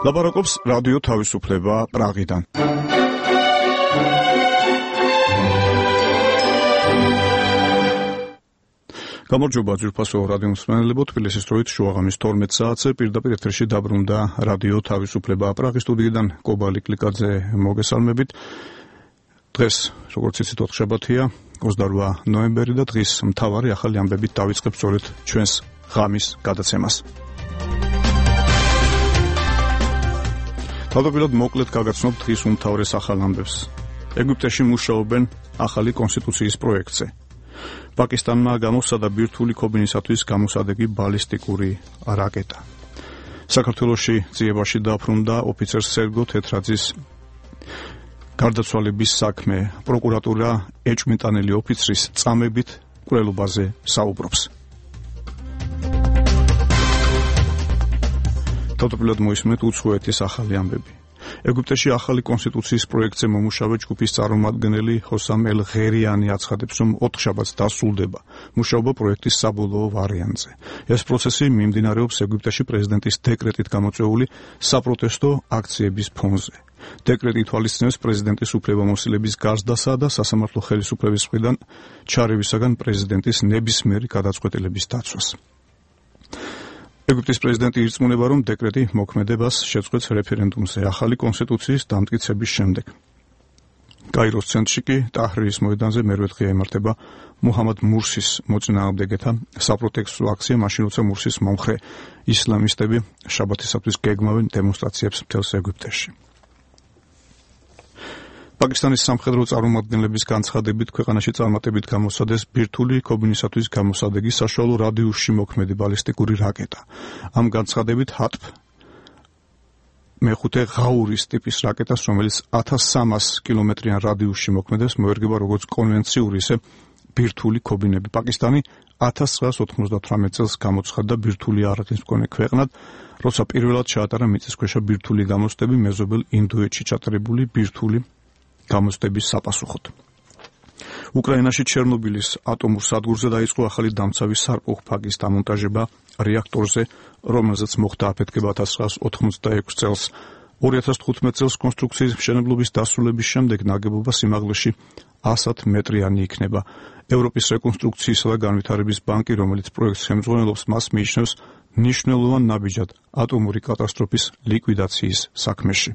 ლაპარაკობს რადიო თავისუფლება პრაღიდან. გამარჯობა ძვირფასო რადიო მსმენელებო, თბილისის დროით შუაღამის 12 საათზე პირდაპირ ეთერში დაბრუნდა რადიო თავისუფლება პრაღის სტუდიიდან კობალი კლიკაძე მოგესალმებით. დღეს როგორც იცით 4 შაბათია, 28 ნოემბერი და დღის მთავარი ახალი ამბებით დავიწყებ სწორედ ჩვენს ღამის გადაცემას. თავდაპირველად მოკლედ გაგაცნობ დღის უმთავრეს ახალ ამბებს. ეგვიპტეში მუშაობენ ახალი კონსტიტუციის პროექტზე. პაკისტანმა გამოსცადა ბირთვული ქობინისათვის გამოსადეგი ბალისტიკური რაკეტა. საქართველოში ძიებაში დაბრუნდა ოფიცერ სერგო თეთრაძის გარდაცვალების საქმე. პროკურატურა ეჭვმიტანილი ოფიცრის წამებით კვლელობაზე საუბრობს. თავდაპირველად მოისმენთ უცხოეთის ახალი ამბები. ეგვიპტეში ახალი კონსტიტუციის პროექტზე მომუშავე ჯგუფის წარმომადგენელი ჰოსამ ელ-ღერიანი აცხადებს, რომ 4 შაბათს დასრულდება მუშაობა პროექტის საბოლოო ვარიანტზე. ეს პროცესი მიმდინარეობს ეგვიპტეში პრეზიდენტის დეკრეტით გამოწვეული საპროტესტო აქციების ფონზე. დეკრეტი ითვალისწინებს პრეზიდენტის უფლებამოსილების გაზრდასა და სასამართლო ხელისუფლების მხრიდან ჩარევისაგან პრეზიდენტის ნებისმიერი გადაწყვეტილების დაცვას. ეგვიპტის პრეზიდენტი ირწმუნება, რომ დეკრეტი მოქმედებას შეწყვეტს რეფერენდუმზე ახალი კონსტიტუციის დამტკიცების შემდეგ. კაიროს ცენტრში კი ტაჰრირის მოედანზე მერვე დღეა იმართება მუჰამად მურსის მოწინააღმდეგეთა საპროტესტო აქცია, მაშინ როცა მურსის მომხრე ისლამისტები შაბათისათვის გეგმავენ დემონსტრაციებს მთელს ეგვიპტეში. პაკისტანის სამხედრო წარმომადგენლების განცხადებით ქვეყანაში წარმატებით გამოსცადეს ბირთვული ქობინისათვის გამოსადეგი საშუალო რადიუსში მოქმედი ბალისტიკური რაკეტა. ამ განცხადებით ჰატფ მეხუთე ღაურის ტიპის რაკეტას, რომელიც 1300 კილომეტრიან რადიუსში მოქმედებს, მოერგება როგორც კონვენციური, ისე ბირთვული ქობინები. პაკისტანი 1998 წელს გამოცხადდა ბირთვული იარაღის მქონე ქვეყნად, როცა პირველად ჩაატარა მიწისქვეშა ბირთვული გამოცდები მეზობელ ინდოეთში ჩატარებული ბირთვული გამოცდების საპასუხოდ. უკრაინაში ჩერნობილის ატომურ სადგურზე დაიწყო ახალი დამცავი სარკოფაგის დამონტაჟება რეაქტორზე, რომელზეც მოხდა აფეთქება 1986 წელს. 2015 წელს კონსტრუქციის მშენებლობის დასრულების შემდეგ ნაგებობა სიმაღლეში 100 მეტრიანი იქნება. ევროპის რეკონსტრუქციისა და განვითარების ბანკი, რომელიც პროექტს ხელმძღვანელობს, მას მიიჩნევს მნიშვნელოვან ნაბიჯად ატომური კატასტროფის ლიკვიდაციის საქმეში.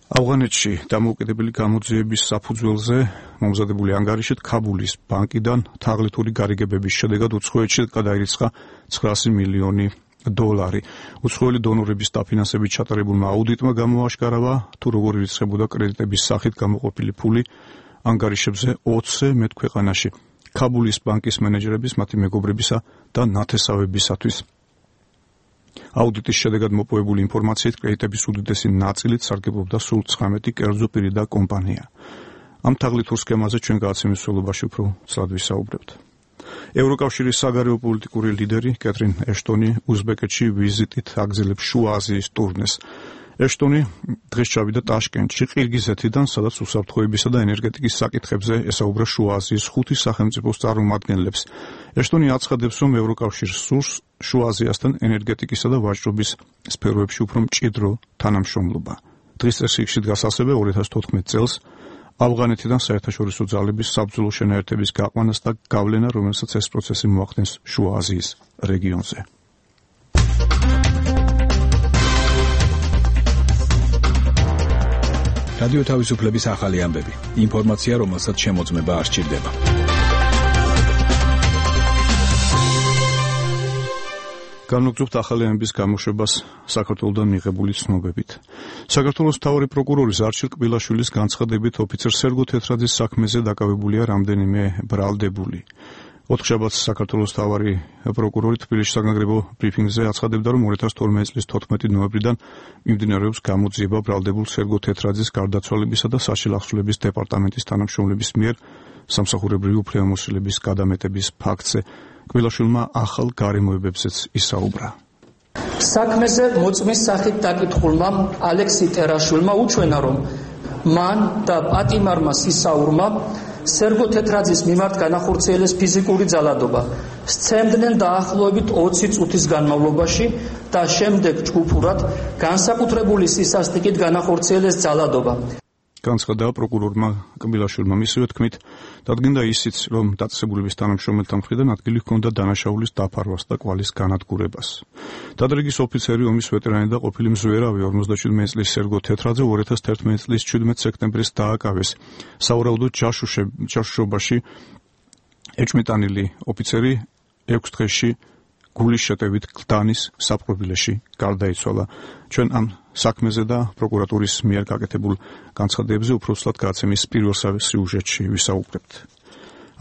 ავღანეთში დამოუკიდებელი გამოძიების საფუძველზე მომზადებული ანგარიშით ქაბულის ბანკიდან თაღლითური გარიგებების შედეგად უცხოეთში გადაირიცხა 900 მილიონი დოლარი. უცხოელი დონორების დაფინანსებით ჩატარებულმა აუდიტმა გამოაშკარავა, თუ როგორ ირიცხებოდა კრედიტების სახით გამოყოფილი ფული ანგარიშებზე 20-ზე მეტ ქვეყანაში ქაბულის ბანკის მენეჯერების, მათი მეგობრებისა და ნათესავებისათვის. აუდიტის შედეგად მოპოვებული ინფორმაციით კრედიტების უდიდესი ნაწილით სარგებლობდა სულ 19 კერძო პირი და კომპანია. ამ თაღლითურ სქემაზე ჩვენ გადაცემის მსვლელობაში უფრო ცალად ვისაუბრებთ. ევროკავშირის საგარეო პოლიტიკური ლიდერი კეთრინ ეშტონი უზბეკეთში ვიზიტით აგრძელებს შუა აზიის ტურნეს. ეშტონი დღეს ჩავიდა ტაშკენტში, ყირგიზეთიდან, სადაც უსაფრთხოებისა და ენერგეტიკის საკითხებზე ესაუბრა შუა აზიის 5 სახელმწიფოს წარმომადგენლებს. ეშტონი აცხადებს, რომ ევროკავშირს სურს შუა აზიასთან ენერგეტიკისა და ვაჭრობის სფეროებში უფრო მჭიდრო თანამშრომლობა. დღის წესრიგში დგას ასევე 2014 წელს ავღანეთიდან საერთაშორისო ძალების საბრძოლო შენაერთების გაყვანას და გავლენა, რომელსაც ეს პროცესი მოახდენს შუა აზიის რეგიონზე. რადიო თავისუფლების ახალი ამბები. ინფორმაცია, რომელსაც შემოწმება არ სჭირდება. განვაგრძობთ ახალი ამბების გამოშვებას საქართველოსთან მიღებული ცნობებით. საქართველოს მთავარი პროკურორის არჩილ კბილაშვილის განცხადებით ოფიცერ სერგო თეთრაძის საქმეზე დაკავებულია რამდენიმე ბრალდებული. 4 შაბათს საქართველოს მთავარი პროკურორი თბილისში საგანგებო ბრიფინგზე აცხადებდა, რომ 2012 წლის 14 ნოემბრიდან მიმდინარეობს გამოძიება ბრალდებულ სერგო თეთრაძის გარდაცვალებისა და საშილახსოვრების დეპარტამენტის თანამშრომლების მიერ სამსახურებრივი უფლებამოსილების გადამეტების ფაქტზე. კბილაშვილმა ახალ გარემოებებზეც ისაუბრა. საქმეზე მოწმის სახით დაკითხულმა ალექსი ტერაშვილმა უჩვენა, რომ მან და პატიმარმა სისაურმა სერგო თეთრაძის მიმართ განახორციელეს ფიზიკური ძალადობა. სცემდნენ დაახლოებით 20 წუთის განმავლობაში და შემდეგ ჯგუფურად განსაკუთრებული სისასტიკით განახორციელეს ძალადობა. განცხადა პროკურორმა კბილაშვილმა. მისივე თქმით, დადგინდა ისიც, რომ დაწესებულების თანამშრომელთა მხრიდან ადგილი ჰქონდა დანაშაულის დაფარვას და კვალის განადგურებას. დადრიგის ოფიცერი, ომის ვეტერანი და ყოფილი მზვერავი 57 წლის სერგო თეთრაძე 2011 წლის 17 სექტემბრის დააკავეს. სავარაუდოდ ჯაშუშობაში ეჭვმიტანილი ოფიცერი 6 დღეში გულის შეტევით გლდანის საპყრობილეში გარდაიცვალა. ჩვენ ამ საქმეზე და პროკურატურის მიერ გაკეთებულ განცხადებებზე უბრალოდ გადაცემის პირველ სიუჟეტში ვისაუბრებთ.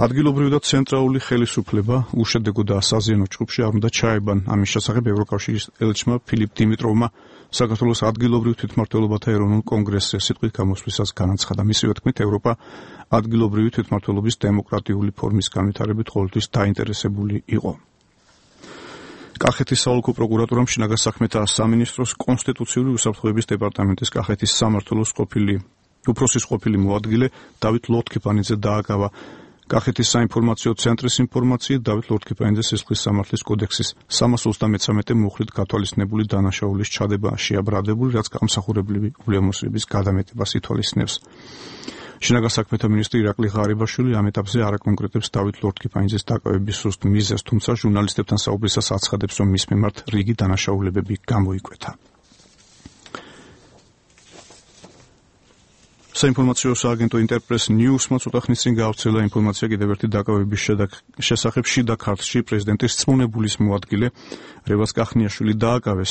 ადგილობრივი და ცენტრალური ხელისუფლება უშედეგო და საზიანო ჯგუფში არ უნდა ჩაებან. ამის შესახებ ევროკავშირის ელჩმა ფილიპ დიმიტროვმა საქართველოს ადგილობრივ თვითმმართველობათა ეროვნულ კონგრესზე სიტყვით გამოსვლისას განაცხადა. მისივე თქმით, ევროპა ადგილობრივი თვითმმართველობის დემოკრატიული ფორმის განვითარებით ყოველთვის დაინტერესებული იყო. კახეთის საოლქო პროკურატურამ შინაგან საქმეთა სამინისტროს კონსტიტუციური უსაფრთხოების დეპარტამენტის კახეთის სამმართველოს უფროსის ყოფილი მოადგილე დავით ლორთქიფანიძე დააკავა. კახეთის საინფორმაციო ცენტრის ინფორმაციით, დავით ლორთქიფანიძე სისხლის სამართლის კოდექსის 333 მუხლით გათვალისწინებული დანაშაულის ჩადება შეაბრალებული, რაც გამსახურებლივი ულამოსების გადამეტებას ითვალისწინებს. შინაგან საქმეთა მინისტრი ირაკლი ღარიბაშვილი ამ ეტაპზე არ აკონკრეტებს დავით ლორთქიფანიძის დაკავების სუსტ მიზეზს, თუმცა ჟურნალისტებთან საუბრისას აცხადებს, რომ მის მიმართ რიგი დანაშაულებები გამოიკვეთა. საინფორმაციო სააგენტო ინტერპრეს ნიუსმა ცოტა ხნის წინ გაავრცელა ინფორმაცია კიდევ ერთი დაკავების შესახებ შიდა ქართლში პრეზიდენტის რწმუნებულის მოადგილე რევაზ კახნიაშვილი დააკავეს.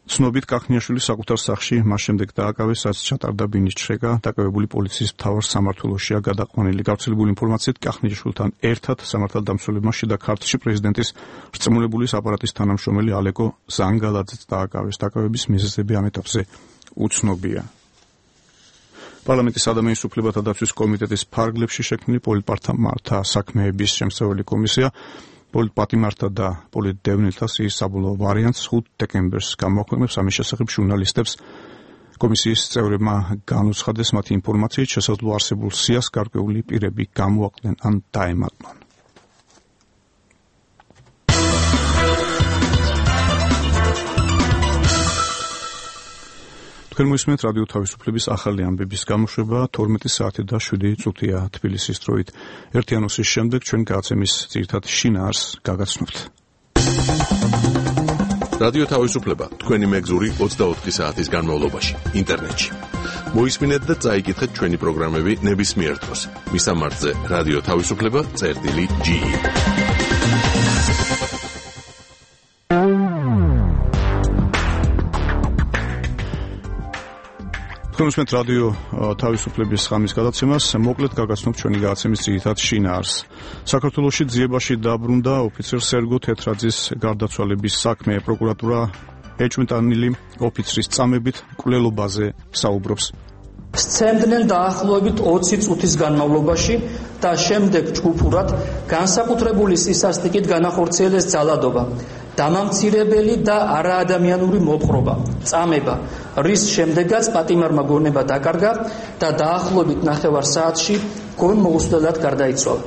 ცნობით კახნიაშვილი საკუთარ სახლში მას შემდეგ დააკავეს, რაც ჩატარდა ბინის ჩრეკა, დაკავებული პოლიციის მთავარ სამმართველოშია გადაყვანილი. გავრცელებული ინფორმაციით კახნიაშვილთან ერთად სამართალდამცველებმა შიდა ქართლში პრეზიდენტის რწმუნებულის აპარატის თანამშრომელი ალეკო ზანგალაძეც დააკავეს. დაკავების მიზეზები ამ ეტაპზე უცნობია. პარლამენტის ადამიანის უფლებათა დაცვის კომიტეტის ფარგლებში შექმნილი პოლიტპატიმართა საქმეების შემსწავლელი კომისია პოლიტპატიმართა და პოლიტდევნილთა სიის საბოლოო ვარიანტს 5 დეკემბერს გამოაქვეყნებს. ამის შესახებ ჟურნალისტებს კომისიის წევრებმა განუცხადეს მათი ინფორმაციით შესაძლო არსებულ სიას გარკვეული პირები გამოაკლენ ან დაემატნენ. თქვენ მოისმენთ რადიო თავისუფლების ახალი ამბების გამოშვება 12 საათი და 7 წუთია თბილისის დროით. ერთი ანონსის შემდეგ ჩვენ გადაცემის ძირითად შინაარს გაგაცნობთ. რადიო თავისუფლება თქვენი მეგზური 24 საათის განმავლობაში ინტერნეტში. მოისმინეთ და წაიკითხეთ ჩვენი პროგრამები ნებისმიერ დროს. მისამართზე რადიო თავისუფლება.ge თქვენ უსმენთ რადიო თავისუფლების ხამის გადაცემას. მოკლედ გაგაცნობთ ჩვენი გადაცემის ძირითად შინაარს. საქართველოში ძიებაში დაბრუნდა ოფიცერ სერგო თეთრაძის გარდაცვალების საქმე. პროკურატურა ეჭვმიტანილი ოფიცრის წამებით მკვლელობაზე საუბრობს. სცემდნენ დაახლოებით 20 წუთის განმავლობაში და შემდეგ ჯგუფურად განსაკუთრებული სისასტიკით განახორციელეს ძალადობა, დამამცირებელი და არაადამიანური მოპყრობა, წამება, რის შემდეგაც პატიმარმა გონება დაკარგა და დაახლოებით 9 საათში გონმოუსვლელად გარდაიცვალა.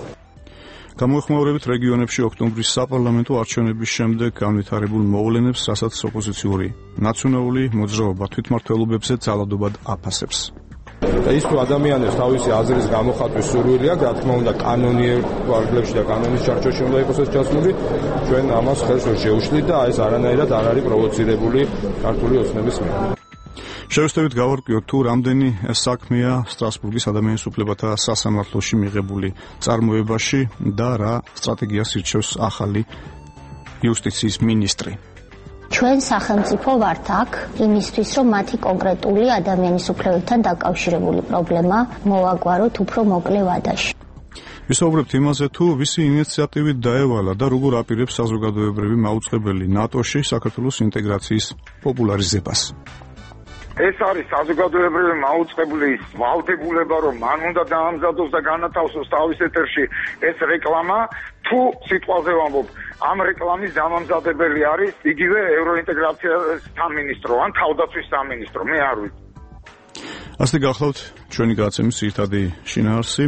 გამოეხმაურებით რეგიონებში ოქტომბრის საპარლამენტო არჩევნების შემდეგ განვითარებულ მოვლენებს, რასაც ოპოზიციური ნაციონალური მოძრაობა თვითმმართველობებზე ძალადობად აფასებს. და ის თუ ადამიანებს თავისი აზრის გამოხატვის სურვილი აქვს, რა თქმა უნდა, კანონიერ ვარგლებში და კანონის ჩარჩოში უნდა იყოს ეს ჩასმული, ჩვენ ამას ხელს ვერ შევუშლით და ეს არანაირად არ არის პროვოცირებული ქართული ოცნების მიერ. შევესწრებით გავარკვიოთ თუ რამდენი საქმეა სტრასბურგის ადამიანის უფლებათა სასამართლოში მიღებული წარმოებაში და რა სტრატეგიას ირჩევს ახალი იუსტიციის მინისტრი. ჩვენ სახელმწიფო ვართ აქ იმისთვის, რომ მათი კონკრეტული ადამიანის უფლებებთან დაკავშირებული პრობლემა მოვაგვაროთ უფრო მოკლე ვადაში. ვისაუბრებთ იმაზე, თუ ვისი ინიციატივით დაევალა და როგორ აპირებს საზოგადოებრივი მაუწყებელი ნატოში საქართველოს ინტეგრაციის პოპულარიზებას. ეს არის საზოგადოებრივი მაუწყებლის ვალდებულება, რომ მან უნდა დაამზადოს და განათავსოს თავის ეთერში ეს რეკლამა, თუ სიტყვაზე ვამბობ, ამ რეკლამის დამამზადებელი არის იგივე ევროინტეგრაციის სამინისტრო ან თავდაცვის სამინისტრო, მე არ ვიცი. ასე გახლავთ ჩვენი გადაცემის ძირითადი შინაარსი.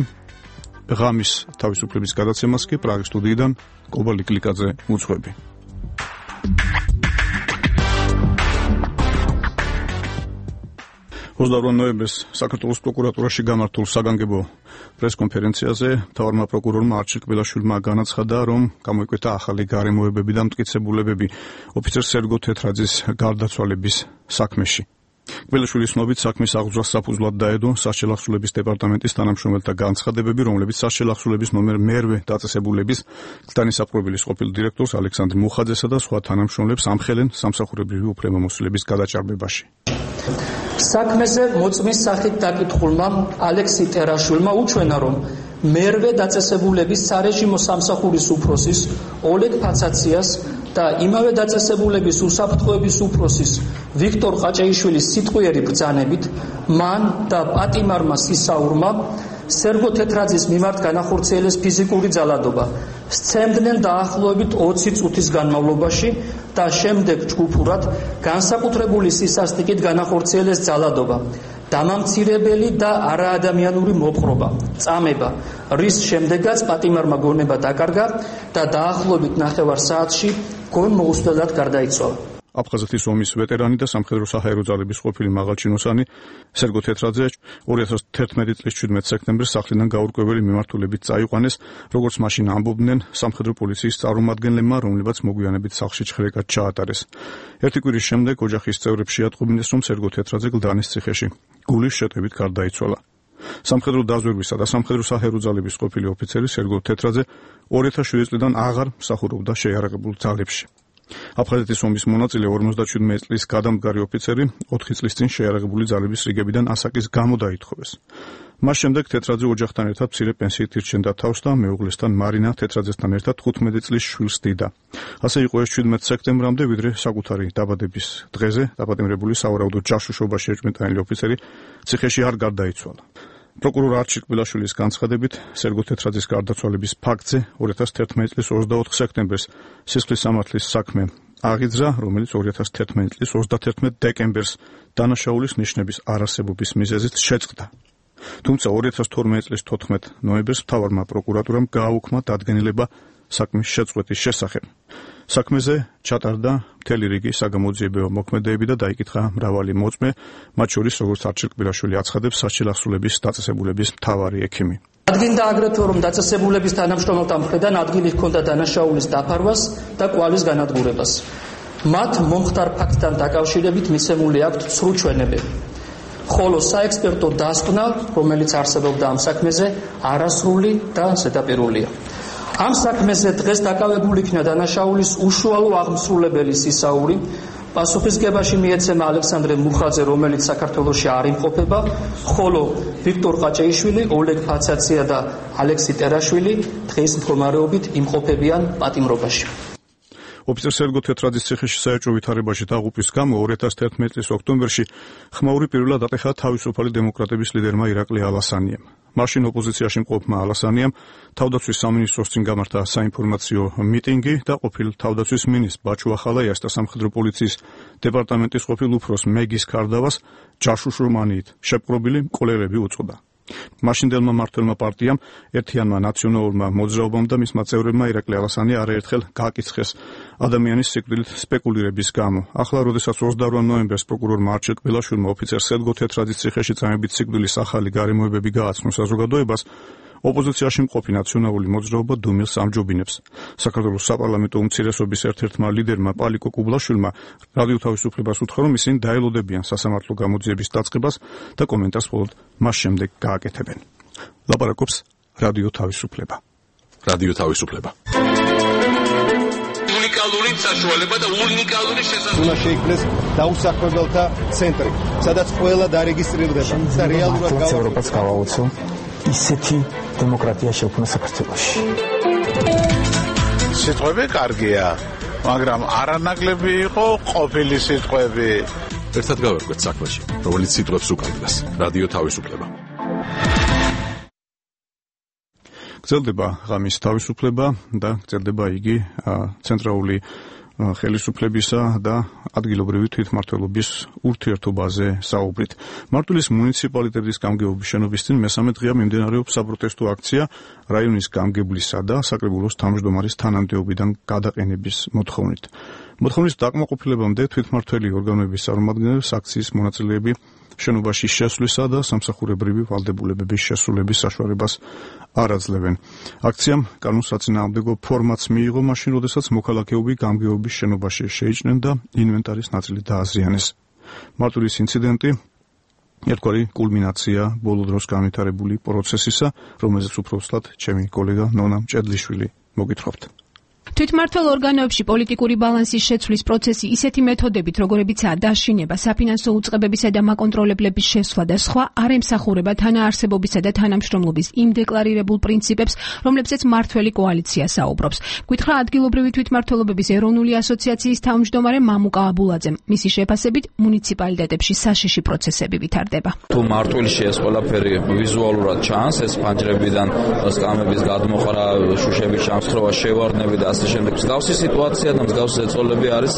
ღამის თავისუფლების გადაცემას კი პრაღის სტუდიიდან კობა ლიკლიკაძე უძღვები. 28 ნოემბერს საქართველოს პროკურატურაში გამართულ საგანგებო პრესკონფერენციაზე მთავარმა პროკურორმა არჩილ კბილაშვილმა განაცხადა, რომ გამოიკვეთა ახალი გარემოებები და მტკიცებულებები ოფიცერ სერგო თეთრაძის გარდაცვალების საქმეში. კბილაშვილის ცნობით საქმის აღძვრას საფუძვლად დაედო სასჯელახსოვრების დეპარტამენტის თანამშრომელთა განცხადებები, რომლებიც სასჯელახსოვრების ნომერ მერვე დაწესებულების განისაპყრობილის ყოფილ დირექტორს ალექსანდრ მუხაძესა და სხვა თანამშრომლებს ამხელენ სამსახურებრივი უფლებამოსილების გადაჭარბებაში. საქმეზე მოწმის სახით დაკითხულმა ალექსი ტერაშვილმა უჩვენა, რომ მერვე დაწესებულების სარეჟიმო სამსახურის უფროსის ოლეგ ფაცაციას და იმავე დაწესებულების უსაფრთხოების უფროსის ვიქტორ ყაჭეიშვილის სიტყვიერი ბრძანებით მან და პატიმარმა სისაურმა სერგო თეთრაძის მიმართ განახორციელეს ფიზიკური ძალადობა. სცემდნენ დაახლოებით 20 წუთის განმავლობაში და შემდეგ ჯგუფურად განსაკუთრებული სისასტიკით განახორციელეს ძალადობა, დამამცირებელი და არაადამიანური მოპყრობა, წამება, რის შემდეგაც პატიმარმა გონება დაკარგა და დაახლოებით 9 საათში გონმოუსვლელად გარდაიცვალა. აფხაზეთის ომის ვეტერანი და სამხედრო საჰაერო ძალების ყოფილი მაღალჩინოსანი სერგო თეთრაძე 2011 წლის 17 სექტემბერს სახლიდან გაურკვეველი მიმართულებით წაიყვანეს, როგორც მაშინ ამბობდნენ სამხედრო პოლიციის წარმომადგენლებმა, რომლებაც მოგვიანებით სახლში ჩხრეკად ჩაატარეს. ერთი კვირის შემდეგ ოჯახის წევრებს შეატყობინეს, რომ სერგო თეთრაძე გლდანის ციხეში გულის შეტევით გარდაიცვალა. სამხედრო დაზვერვისა და სამხედრო საჰაერო ძალების ყოფილი ოფიცერი სერგო თეთრაძე 2007 წლიდან აღარ მსახურობდა შეიარაღებულ ძალებში. აფხაზეთის ომის მონაწილე 57 წლის გადამდგარი ოფიცერი 4 წლის წინ შეიარაღებული ძალების რიგებიდან ასაკის გამო დაითხოვეს. მას შემდეგ თეთრაძე ოჯახთან ერთად მცირე პენსიით ირჩენდა თავს და მეუღლესთან მარინა თეთრაძესთან ერთად 15 წლის შვილს ჰდიდა. ასე იყო ეს 17 სექტემბრამდე, ვიდრე საკუთარი დაბადების დღეზე დაპატიმრებული სავარაუდო ჯაშუშობაში ეჭვმიტანილი ოფიცერი ციხეში არ გარდაიცვალა. პროკურორ არჩილ კბილაშვილის განცხადებით, სერგო თეთრაძის გარდაცვალების ფაქტზე 2011 წლის 24 სექტემბერს სისხლის სამართლის საქმე აღიძრა, რომელიც 2011 წლის 31 დეკემბერს დანაშაულის ნიშნების არარსებობის მიზეზით შეწყდა. თუმცა 2012 წლის 14 ნოემბერს მთავარმა პროკურატურამ გააუქმა დადგენილება საქმის შეწყვეტის შესახებ. საქმეზე ჩატარდა მთელი რიგი საგამოძიებო მოქმედებები და დაიკითხა მრავალი მოწმე, მათ შორის როგორც არჩილ კბილაშვილი აცხადებს, სასჯელახსოვრების დაწესებულების მთავარი ექიმი. ადგინდა აგრეთვე, რომ დაწესებულების თანამშრომელთა მხრიდან ადგილი ჰქონდა დანაშაულის დაფარვას და კვალის განადგურებას. მათ მომხდარ ფაქტთან დაკავშირებით მიცემული აქვთ ცრუ ჩვენებები. ხოლო საექსპერტო დასკვნა, რომელიც არსებობდა ამ საქმეზე, არასრული და ზედაპირულია. ამ საქმეზე დღეს დაკავებული იქნა დანაშაულის უშუალო აღმსრულებელი სისაური. პასუხისგებაში მიეცემა ალექსანდრე მუხაძე, რომელიც საქართველოში არ იმყოფება, ხოლო ვიქტორ ყაჭეიშვილი, ოლეგ ფაცაცია და ალექსი ტერაშვილი დღეს მდგომარეობით იმყოფებიან პატიმრობაში. ოფიცერ სერგო თეთრაძის ციხეში საეჭვო ვითარებაში დაღუპვის გამო 2011 წლის ოქტომბერში ხმაური პირველად ატეხა თავისუფალი დემოკრატების ლიდერმა ირაკლი ალასანიამ. მაშინ ოპოზიციაში მყოფმა ალასანიამ თავდაცვის სამინისტროს წინ გამართა საინფორმაციო მიტინგი და ყოფილ თავდაცვის მინისტრ ბაჩუ ახალაიას და სამხედრო პოლიციის დეპარტამენტის ყოფილ უფროს მეგის კარდავას ჯაშუშრომანიით შეპყრობილი მკვლელები უწოდა. მაშინდელმა მმართველმა პარტიამ, ერთიანმა ნაციონალურმა მოძრაობამ და მისმა წევრებმა ირაკლი ალასანი არაერთხელ გააკიცხეს ადამიანის სიკვდილით სპეკულირების გამო. ახლა, როდესაც 28 ნოემბერს პროკურორმა არჩილ კბილაშვილმა ოფიცერ სერგო თეთრაძის ციხეში წამებით სიკვდილის ახალი გარემოებები გააცნო საზოგადოებას, ოპოზიციაში მყოფი ნაციონალური მოძრაობა დუმილს ამჯობინებს. საქართველოს საპარლამენტო უმცირესობის ერთ-ერთმა ლიდერმა პალიკო კუბლაშვილმა რადიო თავისუფლებას უთხრა, რომ ისინი დაელოდებიან სასამართლო გამოძიების დაწყებას და კომენტარს მხოლოდ მას შემდეგ გააკეთებენ. ლაპარაკობს რადიო თავისუფლება. რადიო თავისუფლება. უნიკალური საშუალება და უნიკალური შესაძლებლობა. უნდა შეიქმნეს დაუსახლებელთა ცენტრი, სადაც ყველა დარეგისტრირდება და რეალურად ევროპას გავაუწო ისეთი დემოკრატია შექმნა საქართველოში. სიტყვები კარგია, მაგრამ არანაკლები იყო ყოფილი სიტყვები. ერთად გავერკვეთ საქმეში, რომელიც სიტყვებს უკავშირდება. რადიო თავისუფლება. გრძელდება ღამის თავისუფლება და გრძელდება იგი ცენტრალური ხელისუფლებისა და ადგილობრივი თვითმმართველობის ურთიერთობაზე საუბრით. მარტვილის მუნიციპალიტეტის გამგეობის შენობის წინ მესამე დღეა მიმდინარეობს საპროტესტო აქცია რაიონის გამგებლისა და საკრებულოს თავმჯდომარის თანამდებობიდან გადაყენების მოთხოვნით. მოთხოვნის დაკმაყოფილებამდე თვითმმართველი ორგანოების წარმომადგენლებს აქციის მონაწილეები შენობაში შესვლისა და სამსახურებრივი ვალდებულებების შესრულების საშუალებას არ აძლევენ. აქციამ კანონსაწინააღმდეგო ფორმაც მიიღო მაშინ, როდესაც მოქალაქეები გამგეობის შენობაში შეიჭრნენ და ინვენტარის ნაწილი დააზიანეს. მარტვილის ინციდენტი ერთგვარი კულმინაცია ბოლო დროს განვითარებული პროცესისა, რომელზეც უფრო ვსლად ჩემი კოლეგა ნონა მჭედლიშვილი მოგითხრობთ. თვითმმართველ ორგანოებში პოლიტიკური ბალანსის შეცვლის პროცესი ისეთი მეთოდებით, როგორებიცაა დაშინება, საფინანსო უწყებებისა და მაკონტროლებლების შესვლა და სხვა, არ ემსახურება თანაარსებობისა და თანამშრომლობის იმ დეკლარირებულ პრინციპებს, რომლებზეც მმართველი კოალიცია საუბრობს. გითხრა ადგილობრივი თვითმმართველობების ეროვნული ასოციაციის თავმჯდომარე მამუკა აბულაძემ. მისი შეფასებით, მუნიციპალიტეტებში საშიში პროცესები ვითარდება. თუ მმართველში ეს ყველაფერი ვიზუალურად ჩანს, ეს ფანჯრებიდან სკამების გადმოყრა, შუშების ჩამსხვრევა, შევარდნები და შემდეგ მსგავსი სიტუაცია და მსგავსი ეწოლები არის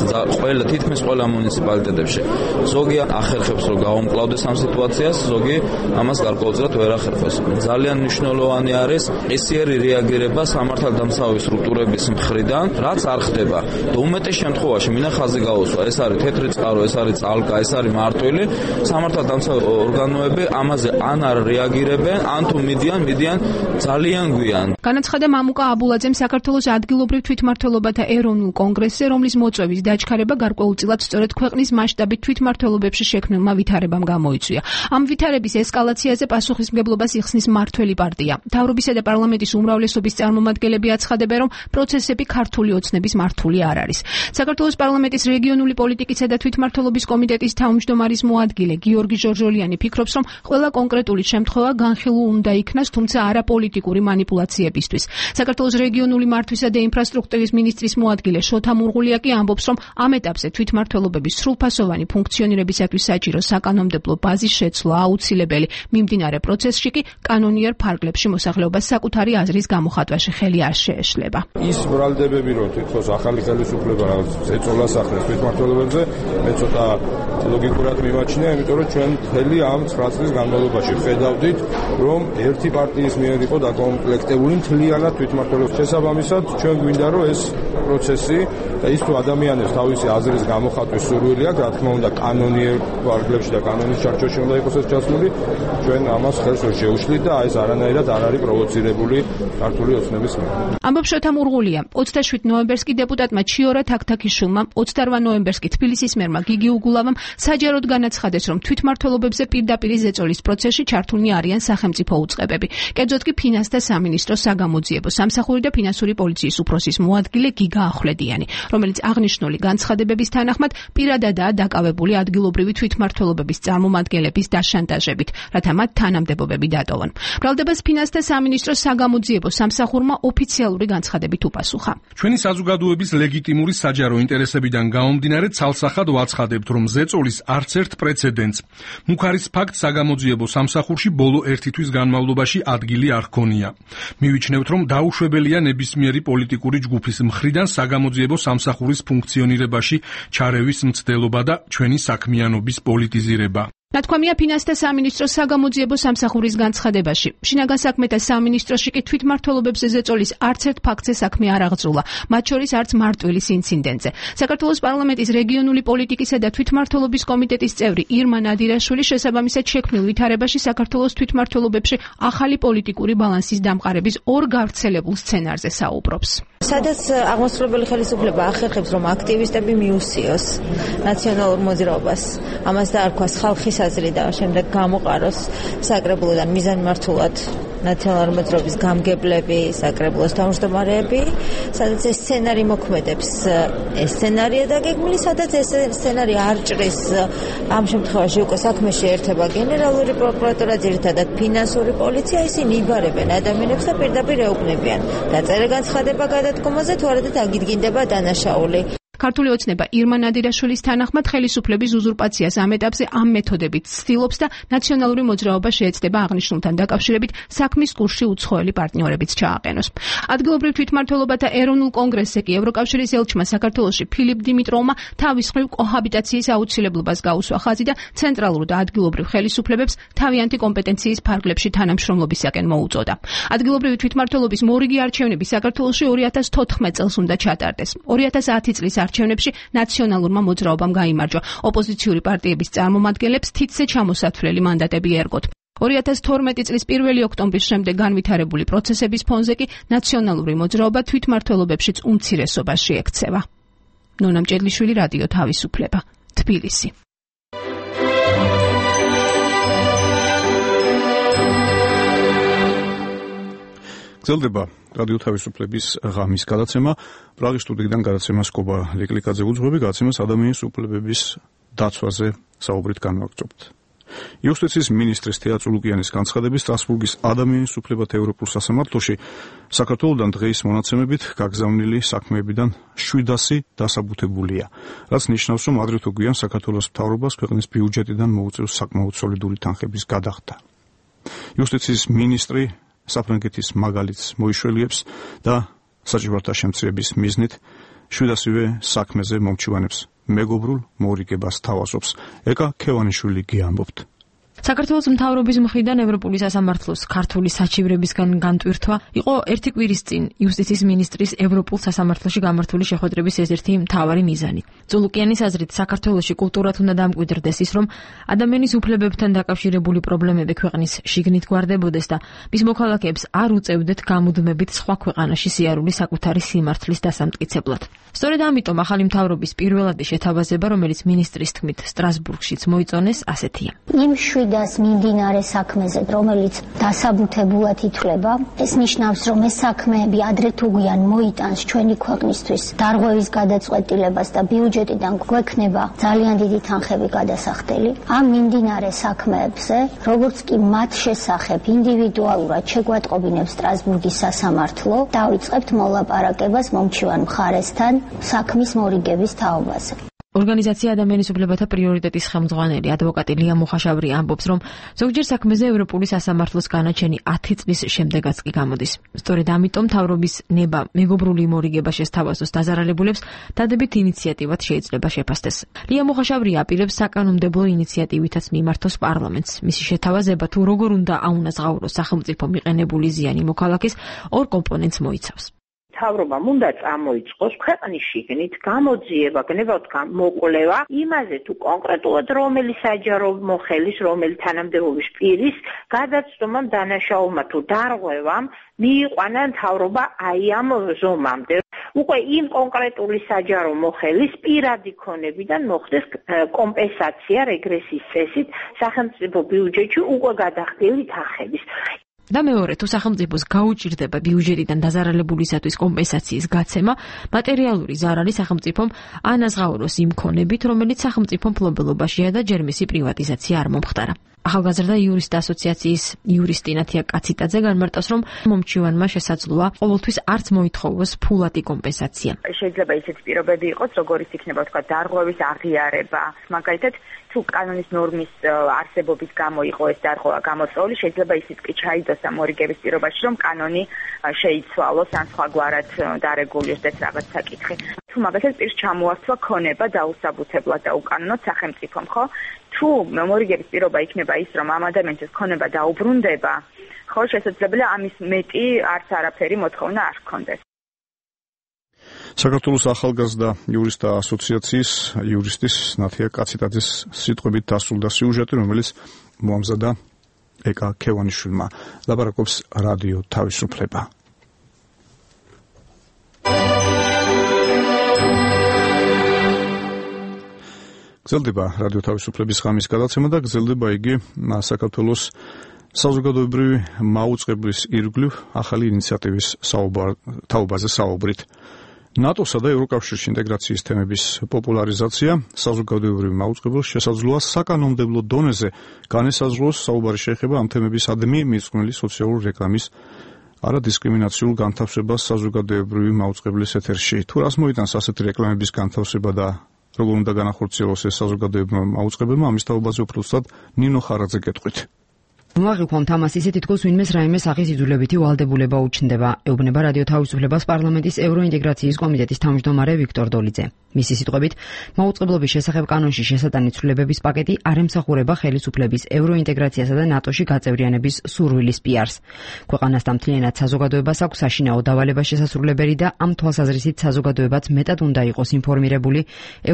თითქმის ყველა მუნიციპალიტეტებში. ზოგი ახერხებს რომ გაუმკლავდეს ამ სიტუაციას, ზოგი ამას გარკვეულწილად ვერ ახერხებს. ძალიან მნიშვნელოვანი არის ისიერი რეაგირება სამართალდამცავი სტრუქტურების მხრიდან, რაც არ ხდება. და უმეტეს შემთხვევაში მინდა ხაზი გაუსვა, ეს არის თეთრი წყარო, ეს არის წალკა, ეს არის მმართველი, სამართალდამცავი ორგანოები ამაზე ან არ რეაგირებენ, ან თუ მიდიან ძალიან გვიან. განაცხადა მამუკა აბულაძემ საქართველოს ადგილობრივ თვითმმართველობათა ეროვნულ კონგრესზე, რომლის მოწვევის დაჩქარება გარკვეულწილად სწორედ ქვეყნის მასშტაბით თვითმმართველობებში შექმნილმა ვითარებამ გამოიწვია. ამ ვითარების ესკალაციაზე პასუხისმგებლობას იხსნის მმართველი პარტია. მთავრობისა და პარლამენტის უმრავლესობის წარმომადგენლები აცხადებენ, რომ პროცესები ქართული ოცნების მართული არ არის. საქართველოს პარლამენტის რეგიონული პოლიტიკისა და თვითმმართველობის კომიტეტის თავმჯდომარის მოადგილე გიორგი ჟორჟოლიანი ფიქრობს, რომ ყველა კონკრეტული შემთხვევა განხილულ უნდა იქნას, თუმცა არა პოლიტიკური მანიპულაციებისთვის. საქართველოს რეგიონული მართვისა და ინფრასტრუქტურის მინისტრის მოადგილე შოთა მურღულია კი ამბობს, რომ ამ ეტაპზე თვითმმართველობების სრულფასოვანი ფუნქციონირებისათვის საჭირო საკანონმდებლო ბაზის შეცვლა აუცილებელი. მიმდინარე პროცესში კი კანონიერ ფარგლებში მოსახლეობას საკუთარი აზრის გამოხატვაში ხელი არ შეეშლება. ის ბრალდებები, რომ თვითონ ახალი ხელისუფლება ეწოლას ახალ თვითმმართველობებზე, მე ცოტა ლოგიკურად მიმაჩნია, იმიტომ რომ ჩვენ მთელი ამ 9 წლის განმავლობაში ხედავდით, რომ ერთი პარტიის მიერ იყო დაკომპლექტებული მთლიანად თვითმმართველობის შესაბამისად, ჩვენ გვინდა რომ ეს პროცესი და ის თუ ადამიანებს თავისი აზრის გამოხატვის სურვილი აქვს, რა თქმა უნდა, კანონიერ ფარგლებში და კანონის ჩარჩოში უნდა იყოს ეს ჩასული, ჩვენ ამას ხელს ვერ შეუშლით და ეს არანაირად არ არის პროვოცირებული ქართული ოცნების მიერ. ამბობს შოთა მურღულია. 27 ნოემბერს კი დეპუტატმა ჩიორა თაქთაქიშვილმა, 28 ნოემბერს კი თბილისის მერმა გიგი უგულავამ საჯაროდ განაცხადეს, რომ თვითმმართველობებზე პირდაპირ ზეწოლის პროცესში ჩართულნი არიან სახელმწიფო უწყებები. კერძოდ კი ფინანსთა სამინისტრო, საგამოძიებო სამსახური და ფინანსური პოლიციის უფროსის მოადგილე გიგა ახვლედიანი, რომელიც აღნიშნული განცხადებების თანახმად პირადადაა დაკავებული ადგილობრივი თვითმმართველობების წარმომადგენლების დაშანტაჟებით, რათა მათ თანამდებობები დატოვონ. ბრალდებას ფინანსთა სამინისტროს საგამოძიებო სამსახურმა ოფიციალური განცხადებით უპასუხა. ჩვენი საზოგადოების ლეგიტიმური საჯარო ინტერესებიდან გამომდინარე ცალსახად ვაცხადებთ, რომ ზეწოლის არც ერთ პრეცედენტს. მუქარის ფაქტ საგამოძიებო სამსახურში ბოლო 1 თვის განმავლობაში ადგილი არ ჰქონია. მივიჩნევთ, რომ დაუშვებელია ნებისმიერი პოლიტიკური ჯგუფის მხრიდან საგამოძიებო სამსახურის ფუნქციონირებაში ჩარევის მცდელობა და ჩვენი საქმიანობის პოლიტიზირება. ნათქვამია ფინანსთა სამინისტროს საგამოძიებო სამსახურის განცხადებაში. შინაგან საქმეთა სამინისტროში კი თვითმმართველობებზე ზეწოლის არც ერთ ფაქტზე საქმე არ აღძრულა, მათ შორის არც მარტვილის ინციდენტზე. საქართველოს პარლამენტის რეგიონული პოლიტიკისა და თვითმმართველობის კომიტეტის წევრი ირმა ნადირაშვილი შესაბამისად შექმნილ ვითარებაში საქართველოს თვითმმართველობებში ახალი პოლიტიკური ბალანსის დამყარების ორ გავრცელებულ სცენარზე საუბრობს. სადაც აღმასრულებელი ხელისუფლება ახერხებს, რომ აქტივისტები მიუსიოს ნაციონალურ მოძრაობას, ამას დაარქვას ხალხის აზრი და შემდეგ გამოყაროს საკრებულოდან მიზანმართულად ნაციონალური მოძრაობის გამგებლები, საკრებულოს თავმჯდომარეები, სადაც ეს სცენარი მოქმედებს. ეს სცენარია დაგეგმილი, სადაც ეს სცენარი არ ჭრის. ამ შემთხვევაში უკვე საქმეში ერთება გენერალური პროკურატურა, ძირითადად ფინანსური პოლიცია, ისინი იბარებენ ადამიანებს და პირდაპირ ეუბნებიან. დაწერა განცხადება გადადგომაზე, თუ არა და დაგიდგინდება დანაშაული. ქართული ოცნება ირმა ნადირაშვილის თანახმად ხელისუფლების უზურპაციას ამ ეტაპზე ამ მეთოდებით ცდილობს და ნაციონალური მოძრაობა შეეცდება აღნიშნულთან დაკავშირებით საქმის კურსში უცხოელი პარტნიორებიც ჩააყენოს. ადგილობრივ თვითმმართველობათა ეროვნულ კონგრესზე კი ევროკავშირის ელჩმა საქართველოში ფილიპ დიმიტროვმა თავის მხრივ კოჰაბიტაციის აუცილებლობას გაუსვა ხაზი და ცენტრალურ და ადგილობრივ ხელისუფლებებს თავიანთი კომპეტენციის ფარგლებში თანამშრომლობისაკენ მოუწოდა. ადგილობრივი თვითმმართველობის მორიგი არჩევნები საქართველოში 2014 წელს უნდა ჩატარდეს. 2010 წლის არჩევნებში ნაციონალურმა მოძრაობამ გაიმარჯვა. ოპოზიციური პარტიების წარმომადგენლებს თითზე ჩამოსათვლელი მანდატები ერგოთ. 2012 წლის 1 ოქტომბრის შემდეგ განვითარებული პროცესების ფონზე კი ნაციონალური მოძრაობა თვითმმართველობებშიც უმცირესობაში ექცევა. ნონა მჭედლიშვილი, რადიო თავისუფლება, თბილისი. გრძელდება რადიო თავისუფლების ღამის გადაცემა. პრაღის სტუდიიდან გადაცემას კობა ლიკლიკაძე უძღვები, გადაცემას ადამიანის უფლებების დაცვაზე საუბრით განვაგრძობთ. იუსტიციის მინისტრის თეა წულუკიანის განცხადებით სტრასბურგის ადამიანის უფლებათა ევროპულ სასამართლოში საქართველოდან დღეის მონაცემებით გაგზავნილი საქმეებიდან 700 დასაბუთებულია, რაც ნიშნავს, რომ ადრე თუ გვიან საქართველოს მთავრობას ქვეყნის ბიუჯეტიდან მოუწევს საკმაოდ სოლიდური თანხების გადახდა. იუსტიციის მინისტრი საფრანგეთის მაგალითს მოიშველიებს და საჭიროთა შემცირების მიზნით 700-ვე საქმეზე მომჩივანებს მეგობრულ მორიგებას თავაზობს. ეკა ქევანიშვილი გიამბობთ. საქართველოს მთავრობის მხრიდან ევროპული სასამართლოს ქართული საჩივრებისგან განტვირთვა იყო ერთი კვირის წინ იუსტიციის მინისტრის ევროპულ სასამართლოში გამართული შეხვედრების ერთ-ერთი მთავარი მიზანი. წულუკიანის აზრით, საქართველოში კულტურად უნდა დამკვიდრდეს ის, რომ ადამიანის უფლებებთან დაკავშირებული პრობლემები ქვეყნის შიგნით გვარდებოდეს და მის მოქალაქეებს არ უწევდეთ გამუდმებით სხვა ქვეყანაში სიარული საკუთარი სიმართლის დასამტკიცებლად. სწორედ ამიტომ ახალი მთავრობის პირველადი შეთავაზება, რომელიც მინისტრის თქმით სტრასბურგშიც მოიწონეს, ასეთია. და მიმდინარე საქმეზე, რომელიც დასაბუთებულად ითვლება, ეს ნიშნავს, რომ ეს საქმეები ადრე თუ გვიან მოიტანს ჩვენი ქვეყნისთვის დარღვევის გადაწყვეტილებას და ბიუჯეტიდან გვექნება ძალიან დიდი თანხები გადასახდელი. ამ მიმდინარე საქმეებზე, როგორც კი მათ შესახებ ინდივიდუალურად შეგვატყობინებს სტრასბურგის სასამართლო, დავიწყებთ მოლაპარაკებას მომჩივან მხარესთან საქმის მორიგების თაობაზე. ორგანიზაცია ადამიანის უფლებათა პრიორიტეტის ხელმძღვანელი ადვოკატი ლია მუხაშავრი ამბობს, რომ ზოგჯერ საქმეზე ევროპული სასამართლოს განაჩენი 10 წლის შემდეგაც კი გამოდის. სწორედ ამიტომ მთავრობის ნება მეგობრული მორიგება შესთავაზოს დაზარალებულებს დადებით ინიციატივად შეიძლება შეფასდეს. ლია მუხაშავრი აპირებს საკანონმდებლო ინიციატივითაც მიმართოს პარლამენტს. მისი შეთავაზება თუ როგორ უნდა აუნაზღაუროს სახელმწიფო მიყენებული ზიანი მოქალაქეს ორ კომპონენტს მოიცავს. მთავრობამ უნდა წამოიწყოს ქვეყნის შიგნით გამოძიება, გნებავთ მოკვლევა იმაზე თუ კონკრეტულად რომელი საჯარო მოხელის, რომელი თანამდებობის პირის გადაცდომამ, დანაშაულმა თუ დარღვევამ მიიყვანა მთავრობა აი ამ ზომამდე. უკვე იმ კონკრეტული საჯარო მოხელის პირადი ქონებიდან მოხდეს კომპენსაცია რეგრესის წესით სახელმწიფო ბიუჯეტში უკვე გადახდილი თანხების. და მეორე, თუ სახელმწიფოს გაუჭირდება ბიუჯეტიდან დაზარალებულისათვის კომპენსაციის გაცემა, მატერიალური ზარალი სახელმწიფომ ანაზღაუროს იმ ქონებით, რომელიც სახელმწიფო მფლობელობაშია და ჯერ მისი პრივატიზაცია არ მომხდარა. ახალგაზრდა იურისტთა ასოციაციის იურისტი ნათია კაციტაძე განმარტავს, რომ მომჩივანმა შესაძლოა ყოველთვის არც მოითხოვოს ფულადი კომპენსაცია. შეიძლება ისეთი პირობები იყოს, როგორიც იქნება თქვა დარღვევის აღიარება. მაგალითად, თუ კანონის ნორმის არსებობის გამო იყო ეს დარღვევა გამოწვეული, შეიძლება ისიც კი ჩაიდოს ამ მორიგების პირობაში, რომ კანონი შეიცვალოს ან სხვაგვარად დარეგულირდეს რაღაც საკითხი. თუ მაგალითად პირს ჩამოასწვა ქონება დაუსაბუთებლად და უკანონოდ სახელმწიფომ, ხო? თუ მორიგების პირობა იქნება ის, რომ ამ ადამიანის ქონება დაუბრუნდება, ხო, შესაძლებელია ამის მეტი არც არაფერი მოთხოვნა არ ჰქონდეს. საქართველოს ახალგაზრდა იურისტთა ასოციაციის იურისტის ნათია კაციტაძის სიტყვებით დასრულდა სიუჟეტი, რომელიც მოამზადა ეკა ქევანიშვილმა. ლაპარაკობს რადიო თავისუფლება. გრძელდება რადიო თავისუფლების ღამის გადაცემა და გრძელდება იგი საქართველოს საზოგადოებრივი მაუწყებლის ირგვლივ ახალი ინიციატივის თაობაზე საუბრით. ნატოსა და ევროკავშირში ინტეგრაციის თემების პოპულარიზაცია საზოგადოებრივ მაუწყებელს შესაძლოა საკანონმდებლო დონეზე განესაზღვროს. საუბარი შეეხება ამ თემებისადმი მიძღვნილი სოციალური რეკლამის არადისკრიმინაციულ განთავსებას საზოგადოებრივი მაუწყებლის ეთერში. თუ რას მოიტანს ასეთი რეკლამების განთავსება და როგორ უნდა განახორციელოს ეს საზოგადოებრივმა მაუწყებელმა, ამის თაობაზე უფრო ზუსტად ნინო ხარაძე გეტყვით. მოაღიქვამ თამას ისე თითქოს ვინმე რაიმე სახის იძულებითი ვალდებულება უჩნდება, ეუბნება რადიო თავისუფლებას პარლამენტის ევროინტეგრაციის კომიტეტის თავმჯდომარე ვიქტორ დოლიძე. მისი სიტყვებით, მაუწყებლობის შესახებ კანონში შესატანი ცვლილებების პაკეტი არ ემსახურება ხელისუფლების ევროინტეგრაციასა და ნატოში გაწევრიანების სურვილის პიარს. ქვეყანასთან მთლიანად საზოგადოებას აქვს საშინაო დავალება შესასრულებელი და ამ თვალსაზრისით საზოგადოებაც მეტად უნდა იყოს ინფორმირებული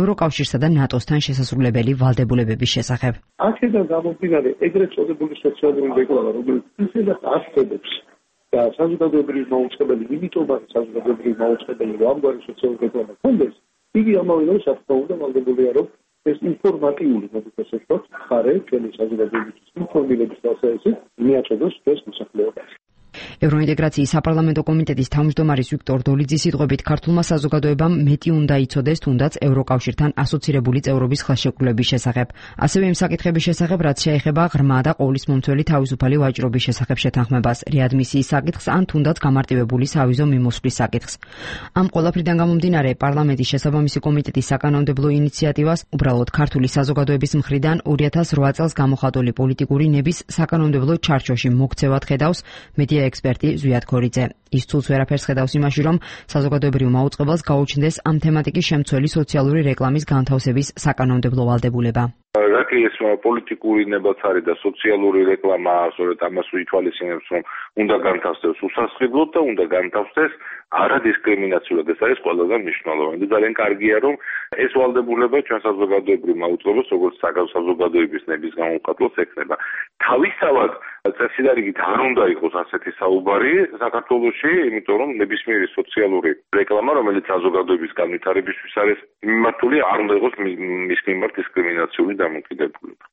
ევროკავშირსა და ნატოსთან შესასრულებელი ვალდებულებების შესახებ. აქედან გამომდინარე ეგრეთ წოდებული სოციალური რეკლამა, რომელიც ისედაც ასწოდებს და საზოგადოებრივი მაუწყებელი, იმიტომ არის საზოგადოებრივი მაუწყებელი, რომ ამგვარი სოციალური რეკლამა ქონდეს, იგი ამავე დროს თქმა უნდა ვალდებულია, რომ ეს ინფორმატიული მოდიფიკაციები ხარე ჩვენი საზოგადოებრივი ინფორმირების დასაწყისით მიაწოდოს ეს მოსახლეობას. ევროინტეგრაციის საპარლამენტო კომიტეტის თავმჯდომარის ვიქტორ დოლიძის სიტყვებით ქართულმა საზოგადოებამ მეტი უნდა იცოდეს თუნდაც ევროკავშირთან ასოცირებული წევრობის ხელშეკრულების შესახებ. ასევე იმ საკითხების შესახებ, რაც შეეხება ღრმა და ყოვლისმომცველი თავისუფალი ვაჭრობის შესახებ შეთანხმებას, რეადმისიის საკითხს ან თუნდაც გამარტივებული სავიზო მიმოსვლის საკითხს. ამ ყველაფრიდან გამომდინარე, პარლამენტის შესაბამისი კომიტეტის საკანონმდებლო ინიციატივას უბრალოდ ქართული საზოგადოების მხრიდან 2008 წელს გამოხატული პოლიტიკური ნების საკანონმდებლო ჩარჩოში მოქცევად ხედავს მედია ექსპერტი ზვიად ქორიძე. ის ცულს ვერაფერს ხედავს იმაში, რომ საზოგადოებრივ მაუწყებელს გაუჩნდეს ამ თემატიკის შემცველი სოციალური რეკლამის განთავსების საკანონმდებლო ვალდებულება. რაკი ეს პოლიტიკური ნებაც არის და სოციალური რეკლამა, სწორედ ამას ვითვალისწინებს, რომ უნდა განთავსდეს უსასყიდლოდ და უნდა განთავსდეს არადისკრიმინაციულად. ეს არის ყველაზე მნიშვნელოვანი და ძალიან კარგია, რომ ეს ვალდებულება ჩვენ საზოგადოებრივ მაუწყებელს, როგორც საზოგადოების ნების გამომხატველს ექნება. თავისთავად წესიდარიგით არ უნდა იყოს ასეთი საუბარი საქართველოში, იმიტომ რომ ნებისმიერი სოციალური რეკლამა, რომელიც საზოგადოების განვითარებისთვის არის მიმართული, არ უნდა იყოს მის მიმართ დისკრიმინაციული დამოკიდებულება.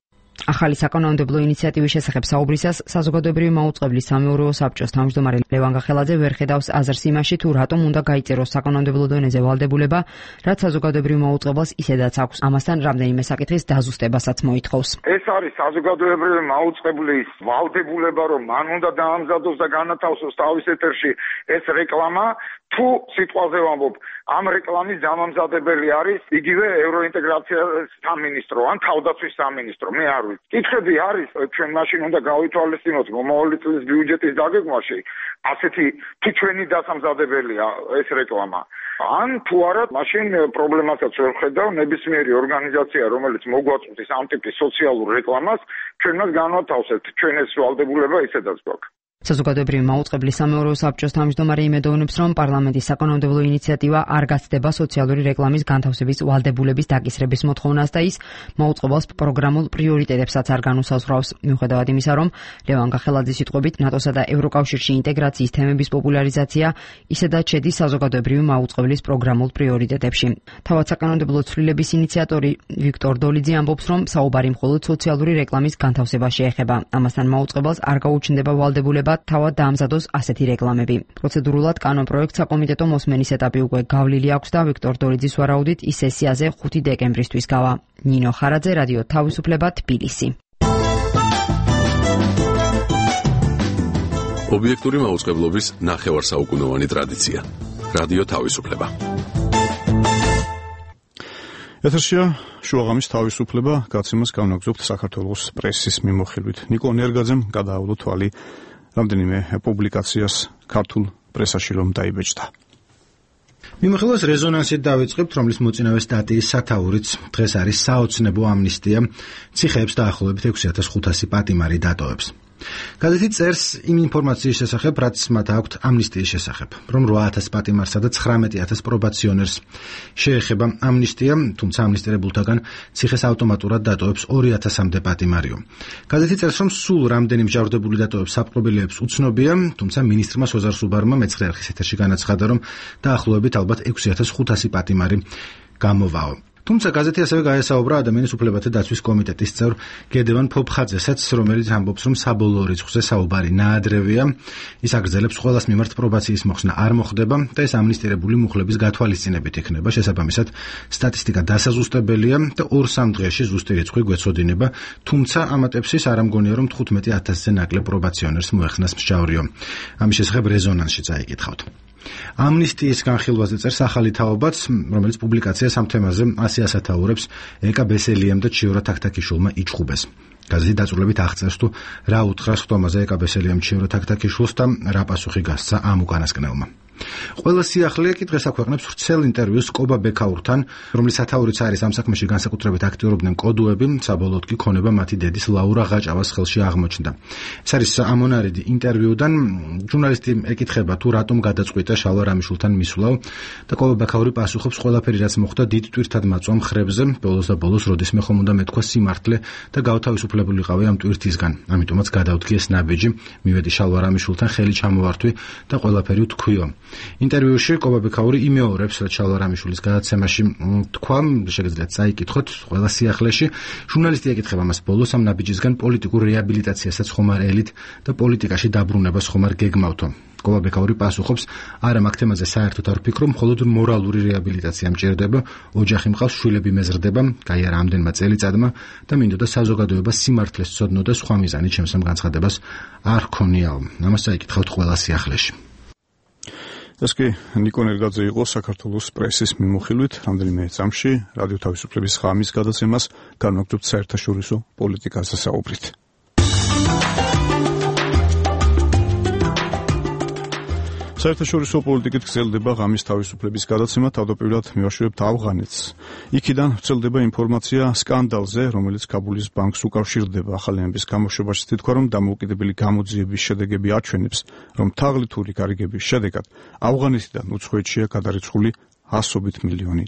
ახალი საკანონმდებლო ინიციატივის შესახებ საუბრისას საზოგადოებრივი მაუწყებლის სამეურვეო საბჭოს თავმჯდომარე ლევან გახელაძე ვერ ხედავს აზრს იმაში, თუ რატომ უნდა გაიწეროს საკანონმდებლო დონეზე ვალდებულება, რაც საზოგადოებრივ მაუწყებელს ისედაც აქვს. ამასთან რამდენიმე საკითხის დაზუსტებასაც მოითხოვს. ეს არის საზოგადოებრივი მაუწყებლის ვალდებულება, რომ მან უნდა დაამზადოს და განათავსოს თავის ეთერში ეს რეკლამა. თუ სიტყვაზე ვამბობ, ამ რეკლამის დამამზადებელი არის იგივე ევროინტეგრაციის სამინისტრო ან თავდაცვის სამინისტრო, მე არ ვიცი. კითხები არის, ჩვენ მაშინ უნდა გავითვალისწინოთ მომავალი წლის ბიუჯეტის დაგეგმვაში, ასეთი თუ ჩვენი დასამზადებელია ეს რეკლამა. ან თუ არა, მაშინ პრობლემასაც ვერ ხედავ, ნებისმიერი ორგანიზაცია, რომელიც მოგვაწყვეტს ამ ტიპის სოციალურ რეკლამას, ჩვენ მას განვათავსებთ, ჩვენ ეს ვალდებულება ისედაც გვაქვს. საზოგადოებრივი მაუწყებლის სამეურვეო საბჭოს თავმჯდომარე იმედოვნებს, რომ პარლამენტის საკანონმდებლო ინიციატივა არ გაცდება სოციალური რეკლამის განთავსების ვალდებულების დაკისრების მოთხოვნას და ის მაუწყებელს პროგრამულ პრიორიტეტებსაც არ განუსაზღვრავს. მიუხედავად იმისა, რომ ლევან გახელაძის სიტყვებით ნატოსა და ევროკავშირში ინტეგრაციის თემების პოპულარიზაცია ისედაც შედის საზოგადოებრივი მაუწყებლის პროგრამულ პრიორიტეტებში. თავად საკანონმდებლო ცვლილების ინიციატორი ვიქტორ დოლიძე ამბობს, რომ საუბარი მხოლოდ სოციალური რეკლამის განთავსებას შეეხება. ამასთან მაუწყებელს არ გაუჩნდება ვალდებულება თავად დაამზადოს ასეთი რეკლამები. პროცედურულად კანონპროექტს საკომიტეტო მოსმენის ეტაპი უკვე გავლილი აქვს და ვიქტორ დოლიძის ვარაუდით ის სესიაზე 5 დეკემბრისთვის გავა. ნინო ხარაძე, რადიო თავისუფლება, თბილისი. ობიექტური მაუწყებლობის ნახევარსაუკუნოვანი ტრადიცია. რადიო თავისუფლება. ეთერშია შუაღამის თავისუფლება, გაცემას განაგზობთ საქართველოს პრესის მიმოხილვით. ნიკო ნერგაძემ გადააავლო თვალი რამდენიმე პუბლიკაციას ქართულ პრესაში რომ დაიბეჭდა. მიმოხილვას რეზონანსით დავიწყებთ, რომლის მოწინავე სტატიის სათაურიც დღეს არის საოცნებო ამნისტია, ციხეებს დაახლოებით 6500 პატიმარი დატოვებს. გაზეთი წერს იმ ინფორმაციის შესახებ, რაც მათ აქვთ ამნისტიის შესახებ, რომ 8000 პატიმარსა და 19000 პრობაციონერს შეეხება ამნისტია, თუმცა ამნისტირებულთაგან ციხეს ავტომატურად დატოვებს 2000-მდე პატიმარიო. გაზეთი წერს, რომ სულ რამდენი მსჯავრდებული დატოვებს საპყრობილეებს უცნობია, თუმცა მინისტრმა სოზარ სუბარმა მეცხრე არხის ეთერში განაცხადა, რომ დაახლოებით ალბათ 6500 პატიმარი გამოვაო. თუმცა გაზეთი ასევე გაესაუბრა ადამიანის უფლებათა დაცვის კომიტეტის წევრ გედევან ფოფხაძესაც, რომელიც ამბობს, რომ საბოლოო რიცხვზე საუბარი ნაადრევია. ის აგრძელებს ყველას მიმართ პრობაციის მოხსნა არ მოხდება და ეს ამნისტირებული მუხლების გათვალისწინებით იქნება. შესაბამისად, სტატისტიკა დასაზუსტებელია და 2-3 დღეში ზუსტი რიცხვი გვეცოდინება, თუმცა ამატებსის არ ამგონია, რომ 15,000-ზე ნაკლებ პრობაციონერს მოეხსნას მსჯავრიო. ამის შესახებ რეზონანსში წაიკითხავთ. ამნისტიის განხილვაზე წერს ახალი თაობაც, რომელიც პუბლიკაციას ამ თემაზე 100 ასათაურებს ეკა ბესელიამ და ჩიორა თაქთაქიშვილმა იჩხუბეს. გაზეთი დაწვრილებით აღწერს თუ რა უთხრა ხტომაზე ეკა ბესელიამ ჩიორა თაქთაქიშვილს და რა პასუხი გასცა ამ უკანასკნელმა. ყველა სიახლეა კი დღეს აქვეყნებს ვრცელ ინტერვიუს კობა ბექაურთან, რომლის სათაურიც არის ამ საქმეში განსაკუთრებით აქტიურობდნენ კოდუები, საბოლოოდ კი ქონება მათი დედის ლაურა ღაჭავას ხელში აღმოჩნდა. ეს არის ამონარიდი ინტერვიუდან, ჟურნალისტი ეკითხება თუ რატომ გადაწყვიტა შალვა რამიშულთან მისვლავ და კობა ბექაური პასუხობს, ყველაფერი რაც მოხდა დიდ ტვირთად მაწვამ ხრებზე, ბოლოს და ბოლოს როდისმე ხომ უნდა მეთქვა სიმართლე და გავთავისუფლებულიყავი ამ ტვირთისგან. ამიტომაც გადავდგი ეს ნაბიჯი, მივედი შალვა რამიშულთან ხელი ჩამოვართვი და ყველაფერი ვთქვიო. ინტერვიუში კობა ბექაური იმეორებს, რაც შალვა რამიშვილის გადაცემაში თქვა, შეგიძლიათ წაიკითხოთ ყველა სიახლეში. ჟურნალისტი ეკითხება მას ბოლოს ამ ნაბიჯისგან პოლიტიკურ რეაბილიტაციასაც ხომ არ ელით და პოლიტიკაში დაბრუნებას ხომ არ გეგმავთო. კობა ბექაური პასუხობს, არა მაგ თემაზე საერთოდ არ ვფიქრობ, მხოლოდ მორალური რეაბილიტაცია მჭირდება, ოჯახი მყავს, შვილები მეზრდება, გაიარა ამდენმა წელიწადმა და მინდოდა საზოგადოება სიმართლეს ცოდნო და სხვა მიზანი ჩემს ამ განცხადებას არ ქონიაო. ამას წაიკითხავთ ყველა სიახლეში. ეს კი ნიკო ნერგაძე იყო საქართველოს პრესის მიმოხილვით რამდენიმე წამში რადიო თავისუფლების ხამის გადაცემას განვაგრძობთ საერთაშორისო პოლიტიკაზე საუბრით. საერთაშორისო პოლიტიკით გრძელდება ღამის თავისუფლების გადაცემა, თავდაპირველად მივაშორებთ ავღანეთს. იქიდან ვრცელდება ინფორმაცია სკანდალზე, რომელიც ქაბულის ბანკს უკავშირდება. ახალი ამბის გამოშვებაში თქვა, რომ დამოუკიდებელი გამოძიების შედეგები აჩვენებს, რომ თაღლითური გარიგების შედეგად ავღანეთიდან უცხოეთშია გადარიცხული $100 მილიონი.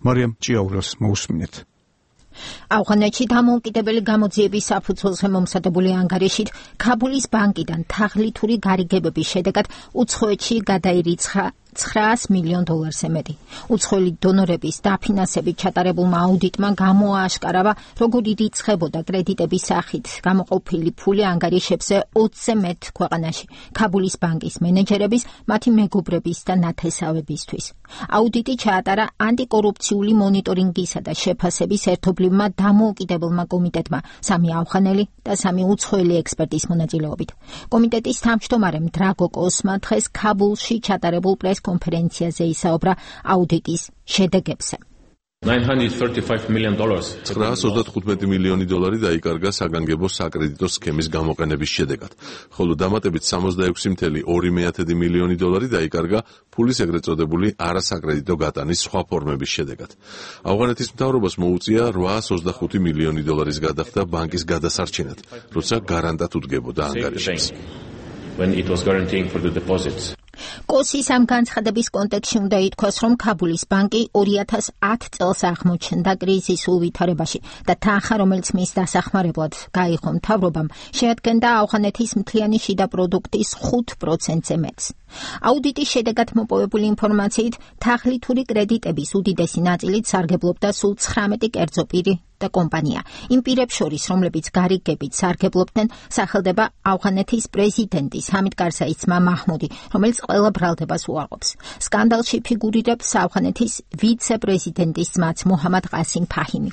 მარიამ ჭიაურელს მოусმინეთ. ავღანეთში დამოუკიდებელი გამოძიების საფუძველზე მომზადებული ანგარიშით ქაბულის ბანკიდან თაღლითური გარიგებების შედეგად უცხოეთში გადაირიცხა $900 მილიონზე მეტი. უცხოელი დონორების დაფინანსებით ჩატარებულმა აუდიტმა გამოააშკარავა, როგორ ირიცხებოდა კრედიტების სახით გამოყოფილი ფული ანგარიშებზე 20-ზე მეტ ქვეყანაში, ქაბულის ბანკის მენეჯერების, მათი მეგობრების და ნათესავებისთვის. აუდიტი ჩაატარა ანტიკორუფციული მონიტორინგისა და შეფასების ერთობლივმა დამოუკიდებელმა კომიტეტმა, 3 ავღანელი და 3 უცხოელი ექსპერტის მონაწილეობით. კომიტეტის თავმჯდომარემ დრაგო კოსმა დღეს ქაბულში ჩატარებულ კონფერენციაზე ისაუბრა აუდიტის შედეგებზე. $935 million. $935 მილიონი დაიკარგა საგანგებო საკრედიტო სქემის გამოყენების შედეგად, ხოლო დამატებით $66.2 მილიონი დაიკარგა ფულის ეგრეთ წოდებული არასაკრედიტო გატანის სხვა ფორმების შედეგად. ავღანეთის მთავრობას მოუწია $825 მილიონი გადახდა ბანკის გადასარჩენად, როცა გარანტად უდგებოდა ანგარიშს. When it was guaranteeing for the deposits. კოსის ამ განცხადების კონტექსტში უნდა ითქვას, რომ ქაბულის ბანკი 2010 წელს აღმოჩნდა კრიზისულ ვითარებაში და თანხა, რომელიც მის დასახმარებლად გაიღო მთავრობამ, შეადგენდა ავღანეთის მთლიანი შიდა პროდუქტის 5%-ზე მეტს. აუდიტის შედეგად მოპოვებული ინფორმაციით, თაღლითური კრედიტების უდიდესი ნაწილით სარგებლობდა სულ 19 კერძო პირი და კომპანია. იმ პირებს შორის, რომლებიც გარიგებით სარგებლობდნენ, სახელდება ავღანეთის პრეზიდენტის ჰამიდ კარზაის ძმა მაჰმუდი, რომელიც ყველა ბრალდებას უარყოფს. სკანდალში ფიგურირებს ავღანეთის ვიცე-პრეზიდენტის ძმაც მუჰამად ყასიმ ფაჰიმი.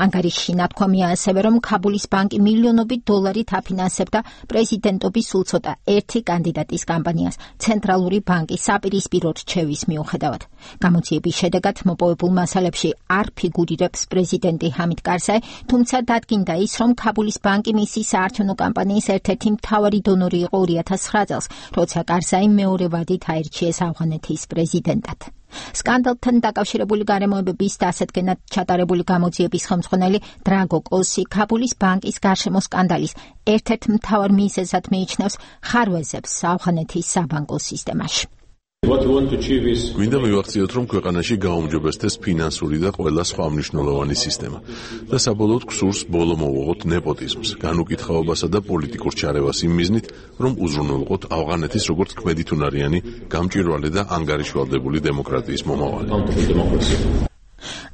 ანგარიშში ნათქვამია ასევე, რომ ქაბულის ბანკი მილიონობით დოლარით აფინანსებდა პრეზიდენტობის სულ ცოტა ერთი კანდიდატის კამპანიას ცენტრალური ბანკის საპირისპირო რჩევის მიუხედავად. გამოძიების შედეგად მოპოვებულ მასალებში არ ფიგურირებს პრეზიდენტი ჰამიდ კარზაი, თუმცა დადგინდა ის, რომ ქაბულის ბანკი მისი საარჩევნო კამპანიის ერთ-ერთი მთავარი დონორი იყო 2009 წელს, როცა კარზაი მეორე ვადით აირჩიეს ავღანეთის პრეზიდენტად. სკანდალთან დაკავშირებული გარემოებების დასადგენად ჩატარებული გამოძიების ხელმძღვანელი დრაგო კოსი ქაბულის ბანკის გარშემო სკანდალის ერთ-ერთ მთავარ მიზეზად მიიჩნევს ხარვეზებს ავღანეთის საბანკო სისტემაში. გვინდა მივახციოთ, რომ ქვეყანაში გაუმჯობესდეს ფინანსური და ყველა სხვა მნიშვნელოვანი სისტემა და საბოლოოდ გსურს ბოლო მოვუღოთ ნეპოტიზმს, განუკითხაობასა და პოლიტიკურ ჩარევას იმ მიზნით, რომ უზრუნველყოთ ავღანეთის როგორც ქმედითუნარიანი, გამჭვირვალე და ანგარიშვალდებული დემოკრატიის მომავალი.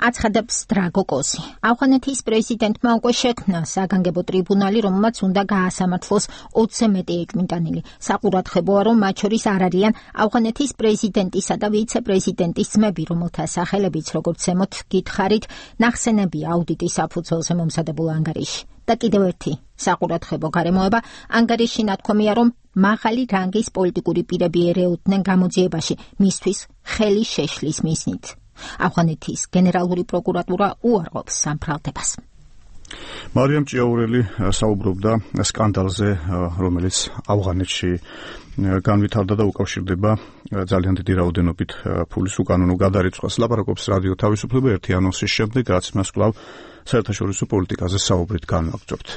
აცხადებს დრაგოკოსი. ავღანეთის პრეზიდენტმა უკვე შექმნა საგანგებო ტრიბუნალი, რომელმაც უნდა გაასამართლოს 20-ზე მეტი ეჭვმიტანილი. საყურადღებოა, რომ მათ შორის არ არიან ავღანეთის პრეზიდენტისა და ვიცე-პრეზიდენტის ძმები, რომელთა სახელებიც, როგორც ზემოთ გითხარით, ნახსენებია აუდიტის საფუძველზე მომზადებულ ანგარიში. და კიდევ ერთი საყურადღებო გარემოება ანგარიში ნათქვამია, რომ მაღალი რანგის პოლიტიკური პირები ერეოდნენ გამოძიებაში მისთვის ხელი შეშლის მიზნით. ავღანეთის გენერალური პროკურატურა უარყოფს სამფრალდებას. მარიამ ჭიაურელი საუბრობდა სკანდალზე, რომელიც ავღანეთში განვითარდა და უკავშირდება ძალიან დიდი რაოდენობით ფულის უკანონო გადარიცხვას. ლაპარაკობს რადიო თავისუფლება ერთი ანონსის შემდეგ, რაც მას კვლავ საერთაშორისო პოლიტიკაზე საუბრით განვაგრძობთ.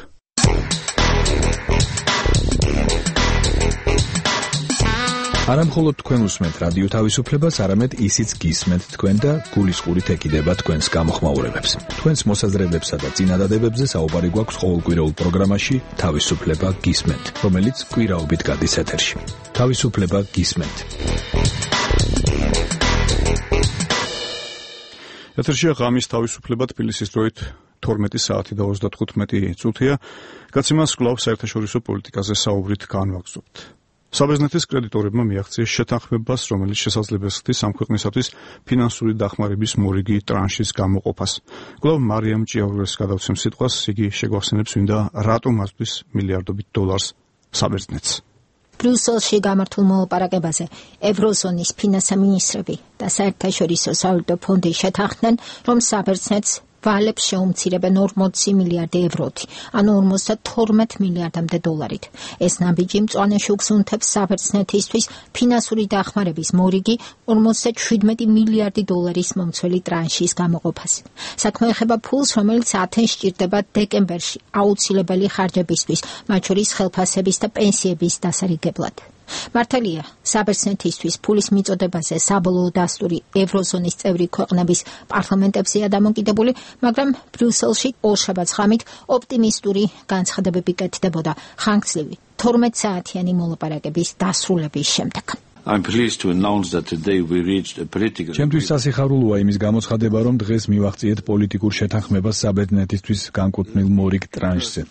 არა მხოლოდ თქვენ უსმენთ რადიო თავისუფლებას, არამედ ისიც გისმენთ თქვენ და გულისყურით ეკიდება თქვენს გამოხმაურებებს. თქვენს მოსაზრებებსა და წინადადებებზე საუბარი გვაქვს ყოველკვირეულ პროგრამაში თავისუფლება გისმენთ, რომელიც კვირაობით გადის ეთერში. თავისუფლება გისმენთ. ეთერშია ღამის თავისუფლება თბილისის დროით 12 საათი და 35 წუთია. გაცემას კვლავ საერთაშორისო პოლიტიკაზე საუბრით განვაგრძობთ. საბერძნეთის კრედიტორებმა მიაღწიეს შეთანხმებას, რომელიც შესაძლებელი ხდის ამ ქვეყნისათვის ფინანსური დახმარების მორიგი ტრანშის გამოყოფას. კვლავ მარიამ ჭიაურელს გადავცემ სიტყვას, იგი შეგვახსენებს, ვინდა რატომ აწვის მილიარდობით დოლარს საბერძნეთს. ბრიუსელში გამართულ მოლაპარაკებაზე ევროზონის ფინანსამინისტრები და საერთაშორისო სავალუტო ფონდი შეთანხმდნენ, რომ საბერძნეთს ვალებს შეუმცირებენ 40 მილიარდი ევროთი, ანუ 52 მილიარდამდე დოლარით. ეს ნაბიჯი მწვანე შუქს უნთებს საბერძნეთისთვის ფინანსური დახმარების მორიგი 57 მილიარდი დოლარის მომცველი ტრანშის გამოყოფას. საქმე ეხება ფულს, რომელიც ათენს სჭირდება დეკემბერში აუცილებელი ხარჯებისთვის, მათ შორის ხელფასების და პენსიების დასარიგებლად. მართალია, საბერძნეთისთვის ფულის მიწოდებაზე საბოლოო დასტური ევროზონის წევრი ქვეყნების პარლამენტებზეა დამოკიდებული, მაგრამ ბრიუსელში ორშაბათს ღამით ოპტიმისტური განცხადებები კეთდებოდა ხანგრძლივი 12 საათიანი მოლაპარაკების დასრულების შემდეგ. I'm pleased to announce that today we reached a political. ჩემთვის სასიხარულოა იმის გამოცხადება, რომ დღეს მივახციეთ პოლიტიკურ შეთანხმებას საბერძნეთისთვის განკუთვნილ მორიგ ტრანშზე.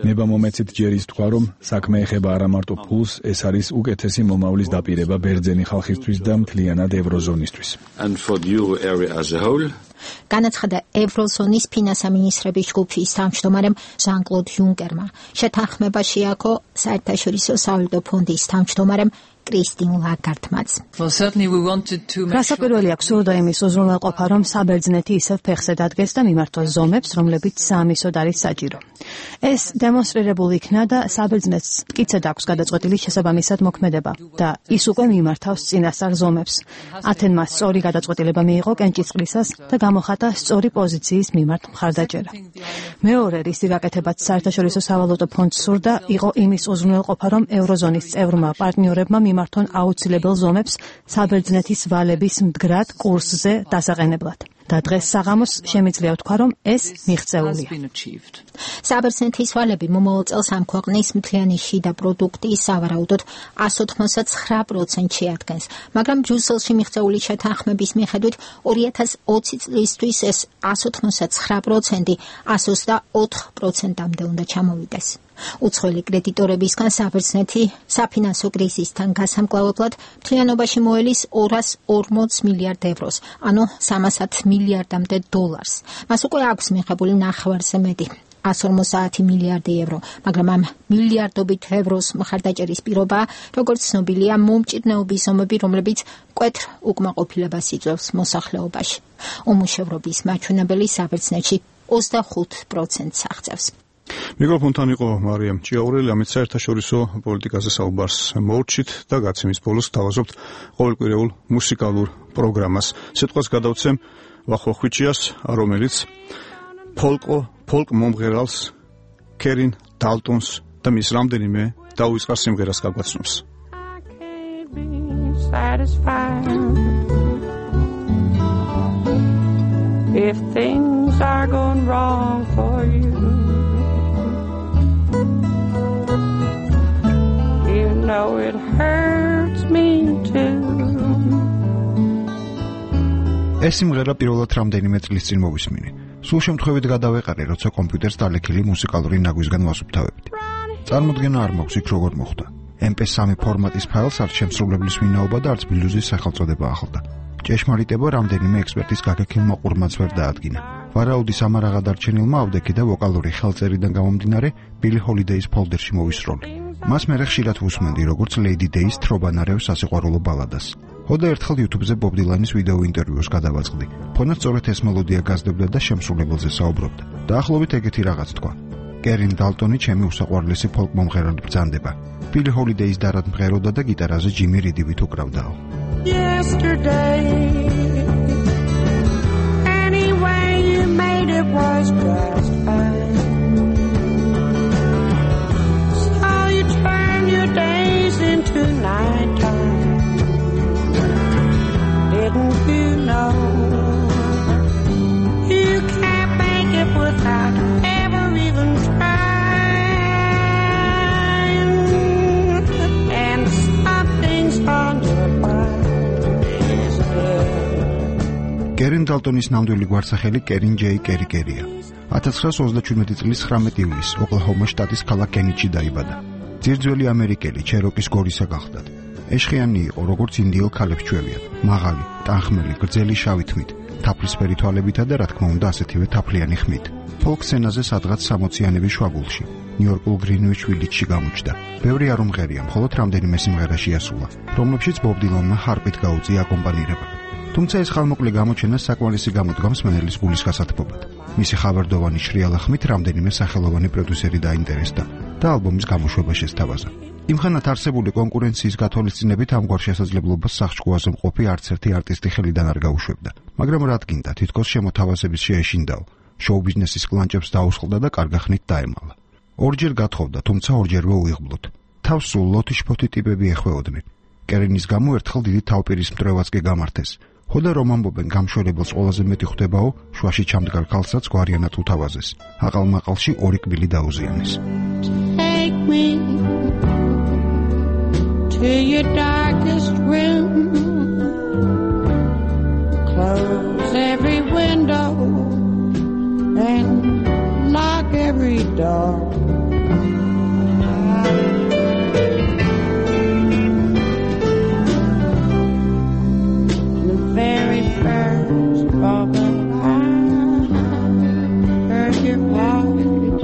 ნება მომეცით ჯერ ის თქვა, რომ საქმე ეხება არა მარტო ფულს, ეს არის უკეთესი მომავლის დაპირება ბერძენი ხალხისთვის და მთლიანად ევროზონისთვის. And for the euro area as a whole. განაცხადა ევროზონის ფინანსამინისტრების ჯგუფის თავმჯდომარემ ჟან-კლოდ იუნკერმა. შეთანხმება შეაქო საერთაშორისო სავალუტო ფონდის თავმჯდომარემ კრისტინ ლაგარდმაც. რასაკვირველი აქვს სურდა იმის უზრუნველყოფა, რომ საბერძნეთი ისევ ფეხზე დადგეს და მიმართოს ზომებს, რომლებიც საამისოდ არის საჭირო. ეს დემონსტრირებულ იქნა და საბერძნეთს მტკიცედ აქვს გადაწყვეტილი შესაბამისად მოქმედება და ის უკვე მიმართავს წინასწარ ზომებს. ათენმა სწორი გადაწყვეტილება მიიღო კენჭისყრისას და გამოხატა სწორი პოზიციის მიმართ მხარდაჭერა. მეორე რისი გაკეთებაც საერთაშორისო სავალუტო ფონდს სურდა, იყო იმის უზრუნველყოფა, რომ ევროზონის წევრმა პარტნიორებმა მიმართონ აუცილებელ ზომებს საბერძნეთის ვალების მდგრად კურსზე დასაყენებლად. და დღეს საღამოს შემიძლია ვთქვა, რომ ეს მიღწეულია. საბერძნეთის ვალები მომავალ წელს ამ ქვეყნის მთლიანი შიდა პროდუქტის სავარაუდოდ 189% შეადგენს, მაგრამ ბრიუსელში მიღწეული შეთანხმების მიხედვით 2020 წლისთვის ეს 189% 124%-მდე უნდა ჩამოვიდეს. უცხოელი კრედიტორებისგან საბერძნეთი საფინანსო კრიზისთან გასამკლავებლად მთლიანობაში მოელის 240 მილიარდ ევროს, ანუ 300 მილიარდამდე დოლარს. მას უკვე აქვს მიღებული ნახევარზე მეტი 150 მილიარდი евро, მაგრამ ამ მილიარდობით ევროს მხარდაჭერის პირობაა, როგორც ცნობილია, მომჭირნეობის ზომები, რომლებიც მკვეთრ უკმაყოფილებას იწვევს მოსახლეობაში. უმუშევრობის მაჩვენებელი საბერძნეთში 25%-ს აღწევს. მიკროფონთან იყო მარიამ ჭიაურელი, ამით საერთაშორისო პოლიტიკაზე საუბარს მოვჭით და გაცემის ბოლოს თავაზობთ ყოველკვირეულ მუსიკალურ პროგრამას. სიტყვას გადავცემ ვახვახვიჩიას, რომელიც ფოლკ მომღერალს კერინ დალტონს და მის რამდენიმე დაუვიწყარ სიმღერას გაგვაცნობს. If things are going wrong for you, you know it hurts me too. ეს სიმღერა პირველად რამდენიმე წლის წინ მოვისმინე. სულ შემთხვევით გადავეყარე, როცა კომპიუტერს დალექილი მუსიკალური ნაგვისგან ვასუფთავებდი. წარმოდგენა არ მაქვს იქ როგორ მოხდა. MP3 ფორმატის ფაილს არც შემსრულებლის ვინაობა და არც ბლუზის სახელწოდება ახლდა. ჭეშმარიტება რამდენიმე ექსპერტის გაგექილმა ყურმაც ვერ დაადგინა. ვარაუდის ამარაღა დარჩენილმა ავდექი და ვოკალური ხელწერიდან გამომდინარე ბილი ჰოლიდეის ფოლდერში მოვისროლი. მას მერე ხშირად ვუსმენდი, როგორც ლეიდი დეის თრობანარევ სასიყვარულო ბალადას. ხოდა ერთხელ YouTube-ზე ბობ დილანის ვიდეო ინტერვიუს გადავაწყდი. ფონად სწორედ ეს მელოდია გაზრდებდა და შემსრულებელზე საუბრობდა. დაახლოებით ეგეთი რაღაც თქვა. კერინ დალტონი ჩემი უსაყვარლესი ფოლკ მომღერალი ბრძანდება. ბილი ჰოლიდეის დარად მღეროდა და გიტარაზე ჯიმი რიდივით უკრავდაო. Yesterday, anyway you made it was just fine. So you turn your days into nighttime. Didn't you know you can't make it without ever even trying? And something's on your mind. კერინ დალტონის ნამდვილი გვარსახელი კერინ ჯეი კერიკერია. 1937 წლის 19 ივლისს ოკლაჰომა შტატის ქალაქ კენიჩი დაიბადა. ძირძველი ამერიკელი ჩეროკის გორისა გახლდათ. ეშხიანი იყო, როგორც ინდიელ ქალებს ჩვევიან. მაღალი, ტანხმელი, გრძელი შავი თმით, თაფლისფერი თვალებითა და რა თქმა უნდა ასეთივე თაფლიანი ხმით. ფოლკ სცენაზე სადღაც 60-იანების შუაგულში, ნიუ-იორკულ გრინვიჩ ვილიჯში გამოჩნდა. ბევრი არ უმღერია, მხოლოდ რამდენიმე სიმღერაში ასულა, რომლებშიც ბობ დილანმა ჰარპით გაუწია აკომპანირება. თუმცა ეს ხალმოკლე გამოჩენა საკმარისი გამოდგამს მენელის გულის გასათბობად. მისი ხავერდოვანი შრიალა ხმით რამდენიმე სახელოვანი პროდიუსერი დაინტერესდა და ალბომის გამოშვება შესთავაზა. იმხანად არსებული კონკურენციის გათვალისწინებით ამგვარ შესაძლებლობას სახჭკუაზე მყოფი არც ერთი არტისტი ხელიდან არ გაუშვებდა. მაგრამ რადგინდა თითქოს შემოთავაზების შეეშინდაო, შოუ-ბიზნესის კლანჭებს დაუსხლდა და კარგახნით დაემალა. ორჯერ გათხოვდა, თუმცა ორჯერვე უიღბლოთ. თავს სულ ლოთიშ-ფოთი ტიპები ეხვეოდნენ. კერინის გამო ერთხელ დიდი თავპირის მტრევაც კი გამართეს. ხოდა რომ ამბობენ გამშვერებელს ყველაზე მეტი ხვდებაო, შუაში ჩამდგარ ქალსაც გვარიანად უთავაზეს. აყალმაყალში ორი კბილი დაუზიანეს. Take me to your darkest room. Close every window and lock every door. The very first moment I heard your voice,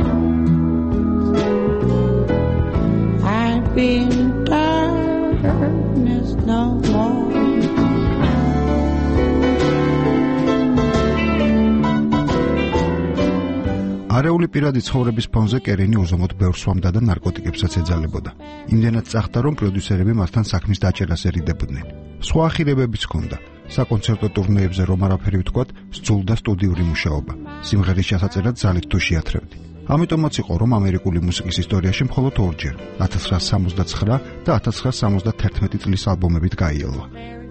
I'd be in darkness no more. არეული პირადი ცხოვრების ფონზე კერინი უზომოდ ბევრ სვამდა და ნარკოტიკებსაც ეძალებოდა. იმდენად წახდა, რომ პროდიუსერები მასთან საქმის დაჭერას ერიდებოდნენ. სხვა ახირებებიც ჰქონდა. საკონცერტო ტურნეებზე რომ არაფერი ვთქვათ, სძულდა სტუდიური მუშაობა. სიმღერის ჩასაწერად ძალით თუ შეათრევდი. ამიტომაც იყო, რომ ამერიკული მუსიკის ისტორიაში მხოლოდ ორჯერ, 1969 და 1971 წლის ალბომებით გაიელვა.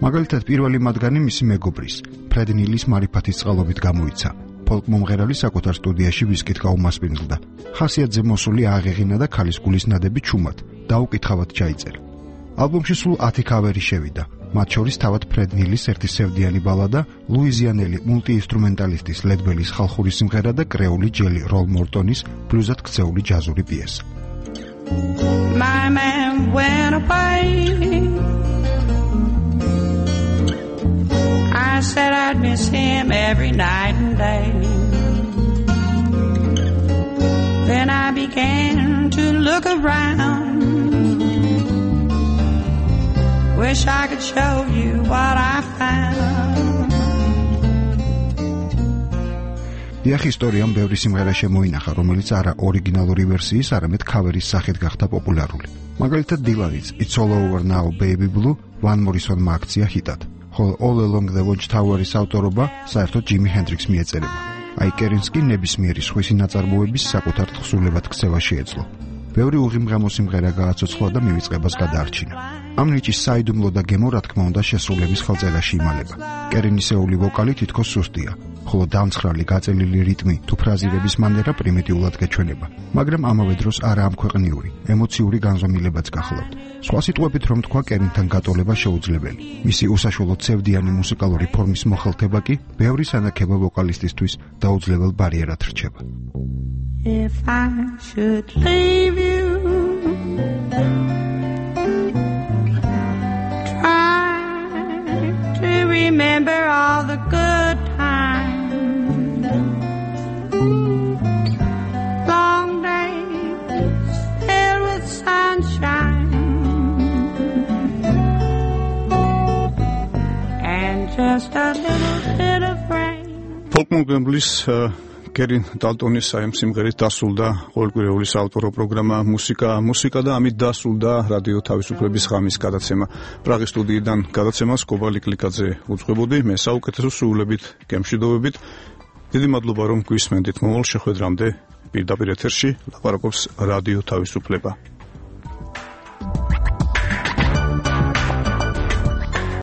მაგალითად, პირველი მათგანი მისი მეგობრის, ფრედ ნილის მარიფათის წყალობით გამოიცა. ფოლკ მომღერალი საკუთარ სტუდიაში ვისკით გაუმასპინძლდა. ხასიათზე მოსული აღეღინა და ქალის გულის ნადები ჩუმად, დაუკითხავად ჩაიწერა. ალბომში სულ 10 კავერი შევიდა. მათ შორის თავად ფრედ ნილის ერთი სევდიანი ბალადა, ლუიზიანელი მულტიინსტრუმენტალისტის ლედ ბელის ხალხური სიმღერა და კრეული ჯელი როლ მორტონის ბლუზად ქცეული ჯაზური პიესა. My man went away. I said I'd miss him every night and day. Then I began to look around. Wish I could show you what I found. დიახ, ისტორიამ ბევრი სიმღერა შემოინახა, რომელიც არა ორიგინალური ვერსიის, არამედ ქავერის სახით გახდა პოპულარული. მაგალითად, დილანის It's All Over Now Baby Blue ვან მორისონმა აქცია ჰიტად. ხოლო All Along the Watchtower-ის ავტორობა საერთოდ ჯიმი ჰენდრიქსს მიეწერება. აი კერინს კი ნებისმიერი სხვისი ნაწარმოების საკუთარ თხზულებად ქცევა შეეძლო. ბევრი უღიმღემო სიმღერა გააცოცხლა და მივიწყებას გადაარჩინა. ამ ნიჭის საიდუმლო და გემო რა თქმა უნდა შესრულების ხელწერაში იმალება. კერინისეული ვოკალი თითქოს სუსტია, ხოლო დამცხრალი გაწელილი რიტმი თუ ფრაზირების მანერა პრიმიტიულად გეჩვენება, მაგრამ ამავე დროს არა ამქვეყნიური, ემოციური განზომილებაც გახლავთ. სხვა სიტყვებით რომ თქვა, კერინთან გატოლება შეუძლებელი. მისი უსაშუალო ცევდიანი მუსიკალური ფორმის მოხელთება კი ბევრი სანაქება ვოკალისტისთვის დაუძლებელ ბარიერად რჩება. If I should leave you, try to remember all the good times, long days filled with sunshine, and just a little bit of rain. Folk Montgomery's კერინ დალტონის საიმ სიმღერით დასრულდა ყოველკვირეული საავტორო პროგრამა მუსიკა და ამით დასრულდა რადიო თავისუფლების ღამის გადაცემა. პრაღის სტუდიიდან გადაცემას კობალი კლიკაძე უძღვებოდი, მე საუკეთესო სრულებით გემშვიდობებით. დიდი მადლობა რომ გვისმენდით. მომავალ შეხვედრამდე პირდაპირ ეთერში ლაპარაკობს რადიო თავისუფლება.